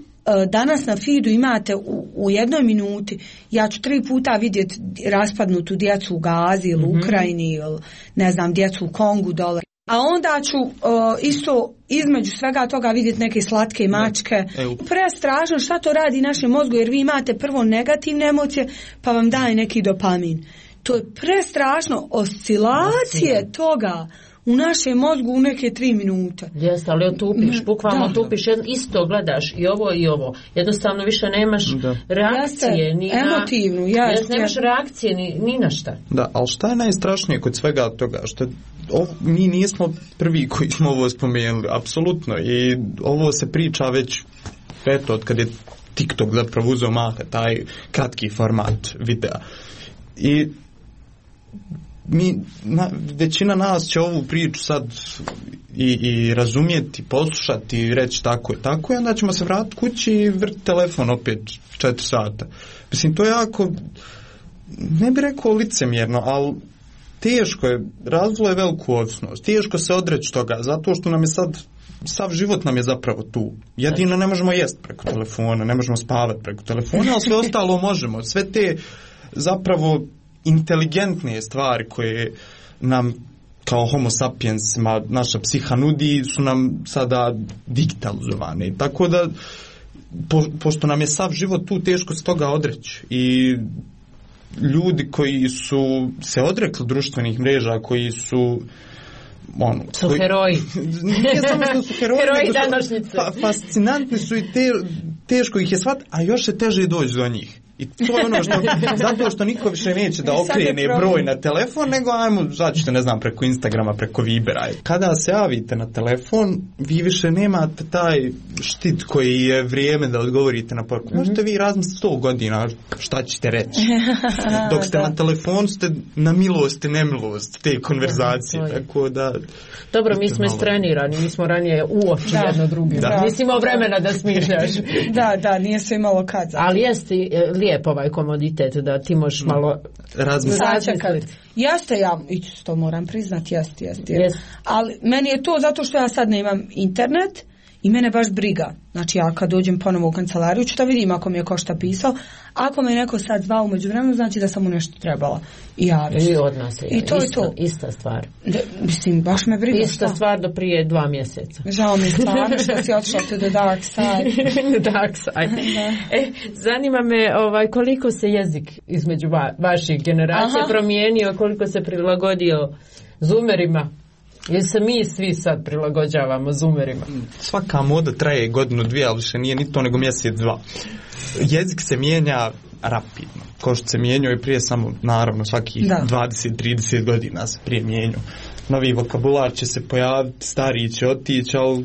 danas na feedu imate u jednoj minuti, ja ću 3 puta vidjeti raspadnutu djecu u Gazi ili u Ukrajini ili ne znam, djecu u Kongu dole. A onda ću isto između svega toga vidjeti neke slatke mačke. Prestrašno šta to radi našem mozgu, jer vi imate prvo negativne emocije pa vam daje neki dopamin. To je prestrašno, oscilacije toga u našem mozgu u neke 3 minute. Jeste, ali otupiš, bukvalno otupiš, isto gledaš i ovo. Jednostavno više nemaš reakcije. Emotivnu, nemaš reakcije ni na šta. Da, ali šta je najstrašnije kod svega toga? Što mi nismo prvi koji smo ovo spomenuli, apsolutno. I ovo se priča već od kad je TikTok zapravo uzeo maha, taj kratki format videa. I većina nas će ovu priču sad i razumjeti, poslušati i reći tako i onda ćemo se vratiti kući i vrti telefon opet 4 sata. Mislim, to je jako, ne bih rekao licemjerno, ali teško je, razvilo je veliku ovisnost, teško se odreći toga, zato što nam je sad, sav život nam je zapravo tu. Jedino ne možemo jesti preko telefona, ne možemo spavati preko telefona, ali sve ostalo možemo. Sve te zapravo inteligentnije stvari koje nam kao homo sapiensima naša psiha nudi su nam sada digitalizovane. Tako da pošto nam je sav život tu, teško se toga odreći. I ljudi koji su se odrekli društvenih mreža, koji su heroji. Nije samo što su heroji, današnjice. Fascinantni su i teško ih je shvatiti, a još se teže doći do njih. I to je ono zato što niko više neće da okrene broj na telefon, nego ajmo, začite, ne znam, preko Instagrama, preko Vibera. Kada se javite na telefon, vi više nemate taj štit koji je vrijeme da odgovorite na poruku. Možete vi razmisliti 100 godina šta ćete reći. Dok ste na telefonu, ste na milost i nemilost te konverzacije. Tako da... Dobro, mi smo istrenirani, mi smo ranije u oči jedno drugim. Nisi imao vremena da smišljaš. Da, nije se imalo kad. Ali jeste lijep ovaj komoditet da ti možeš malo razmisliti. Jeste, ja to moram priznati, jeste. Ali meni je to zato što ja sad nemam internet i mene baš briga. Znači ja kad dođem ponovo u kancelariju ću da vidim ako mi je ko šta pisao. Ako me neko sad zvao umeđu vremenu, znači da sam mu nešto trebala i javiti. I od nas je. I to je to. Ista stvar. Mislim, baš me briga. Ista stvar do prije 2 mjeseca. Žao mi je stvarno što si otišla to the dark side. Dark side. Zanima me koliko se jezik između vaših generacija promijenio, koliko se prilagodio zoomerima. Jer se mi svi sad prilagođavamo zoomerima. Svaka moda traje godinu, dvije, ali više nije ni to nego mjesec, dva. Jezik se mijenja rapidno. Ko što se mijenjao i prije, samo naravno svaki 20-30 godina se prije mijenjao. Novi vokabular će se pojaviti, stariji će otići, ali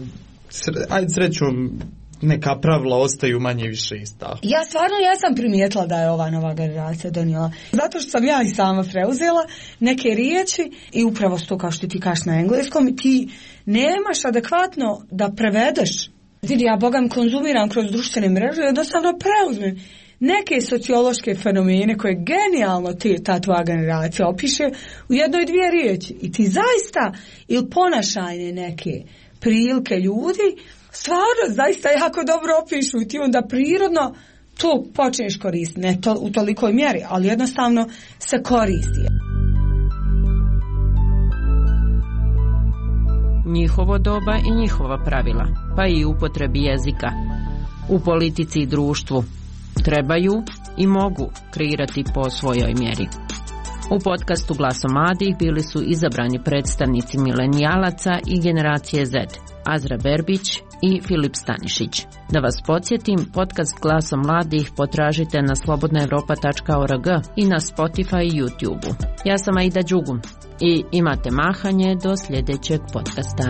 ajde srećom neka pravila ostaju manje više ista. Ja sam primijetila da je ova nova generacija donijela. Zato što sam ja i sama preuzela neke riječi i upravo to kao što ti kažeš na engleskom i ti nemaš adekvatno da prevedeš. Vidi, ja bogam konzumiram kroz društvene mreže i jednostavno preuzmem neke sociološke fenomene koje genijalno ta tvoja generacija opiše u jednoj dvije riječi. I ti zaista ili ponašajne neke prilike ljudi stvarno zaista jako dobro opišu i ti onda prirodno to počneš koristiti. Ne to, u tolikoj mjeri, ali jednostavno se koristi. Njihovo doba i njihova pravila, pa i upotrebi jezika. U politici i društvu trebaju i mogu kreirati po svojoj mjeri. U podcastu Glasom mladih bili su izabrani predstavnici milenijalaca i generacije Z, Azra Berbić i Filip Stanišić. Da vas podsjetim, podcast Glasom mladih potražite na slobodnaevropa.org i na Spotify i YouTube. Ja sam Aida Đugum i imate mahanje do sljedećeg podcasta.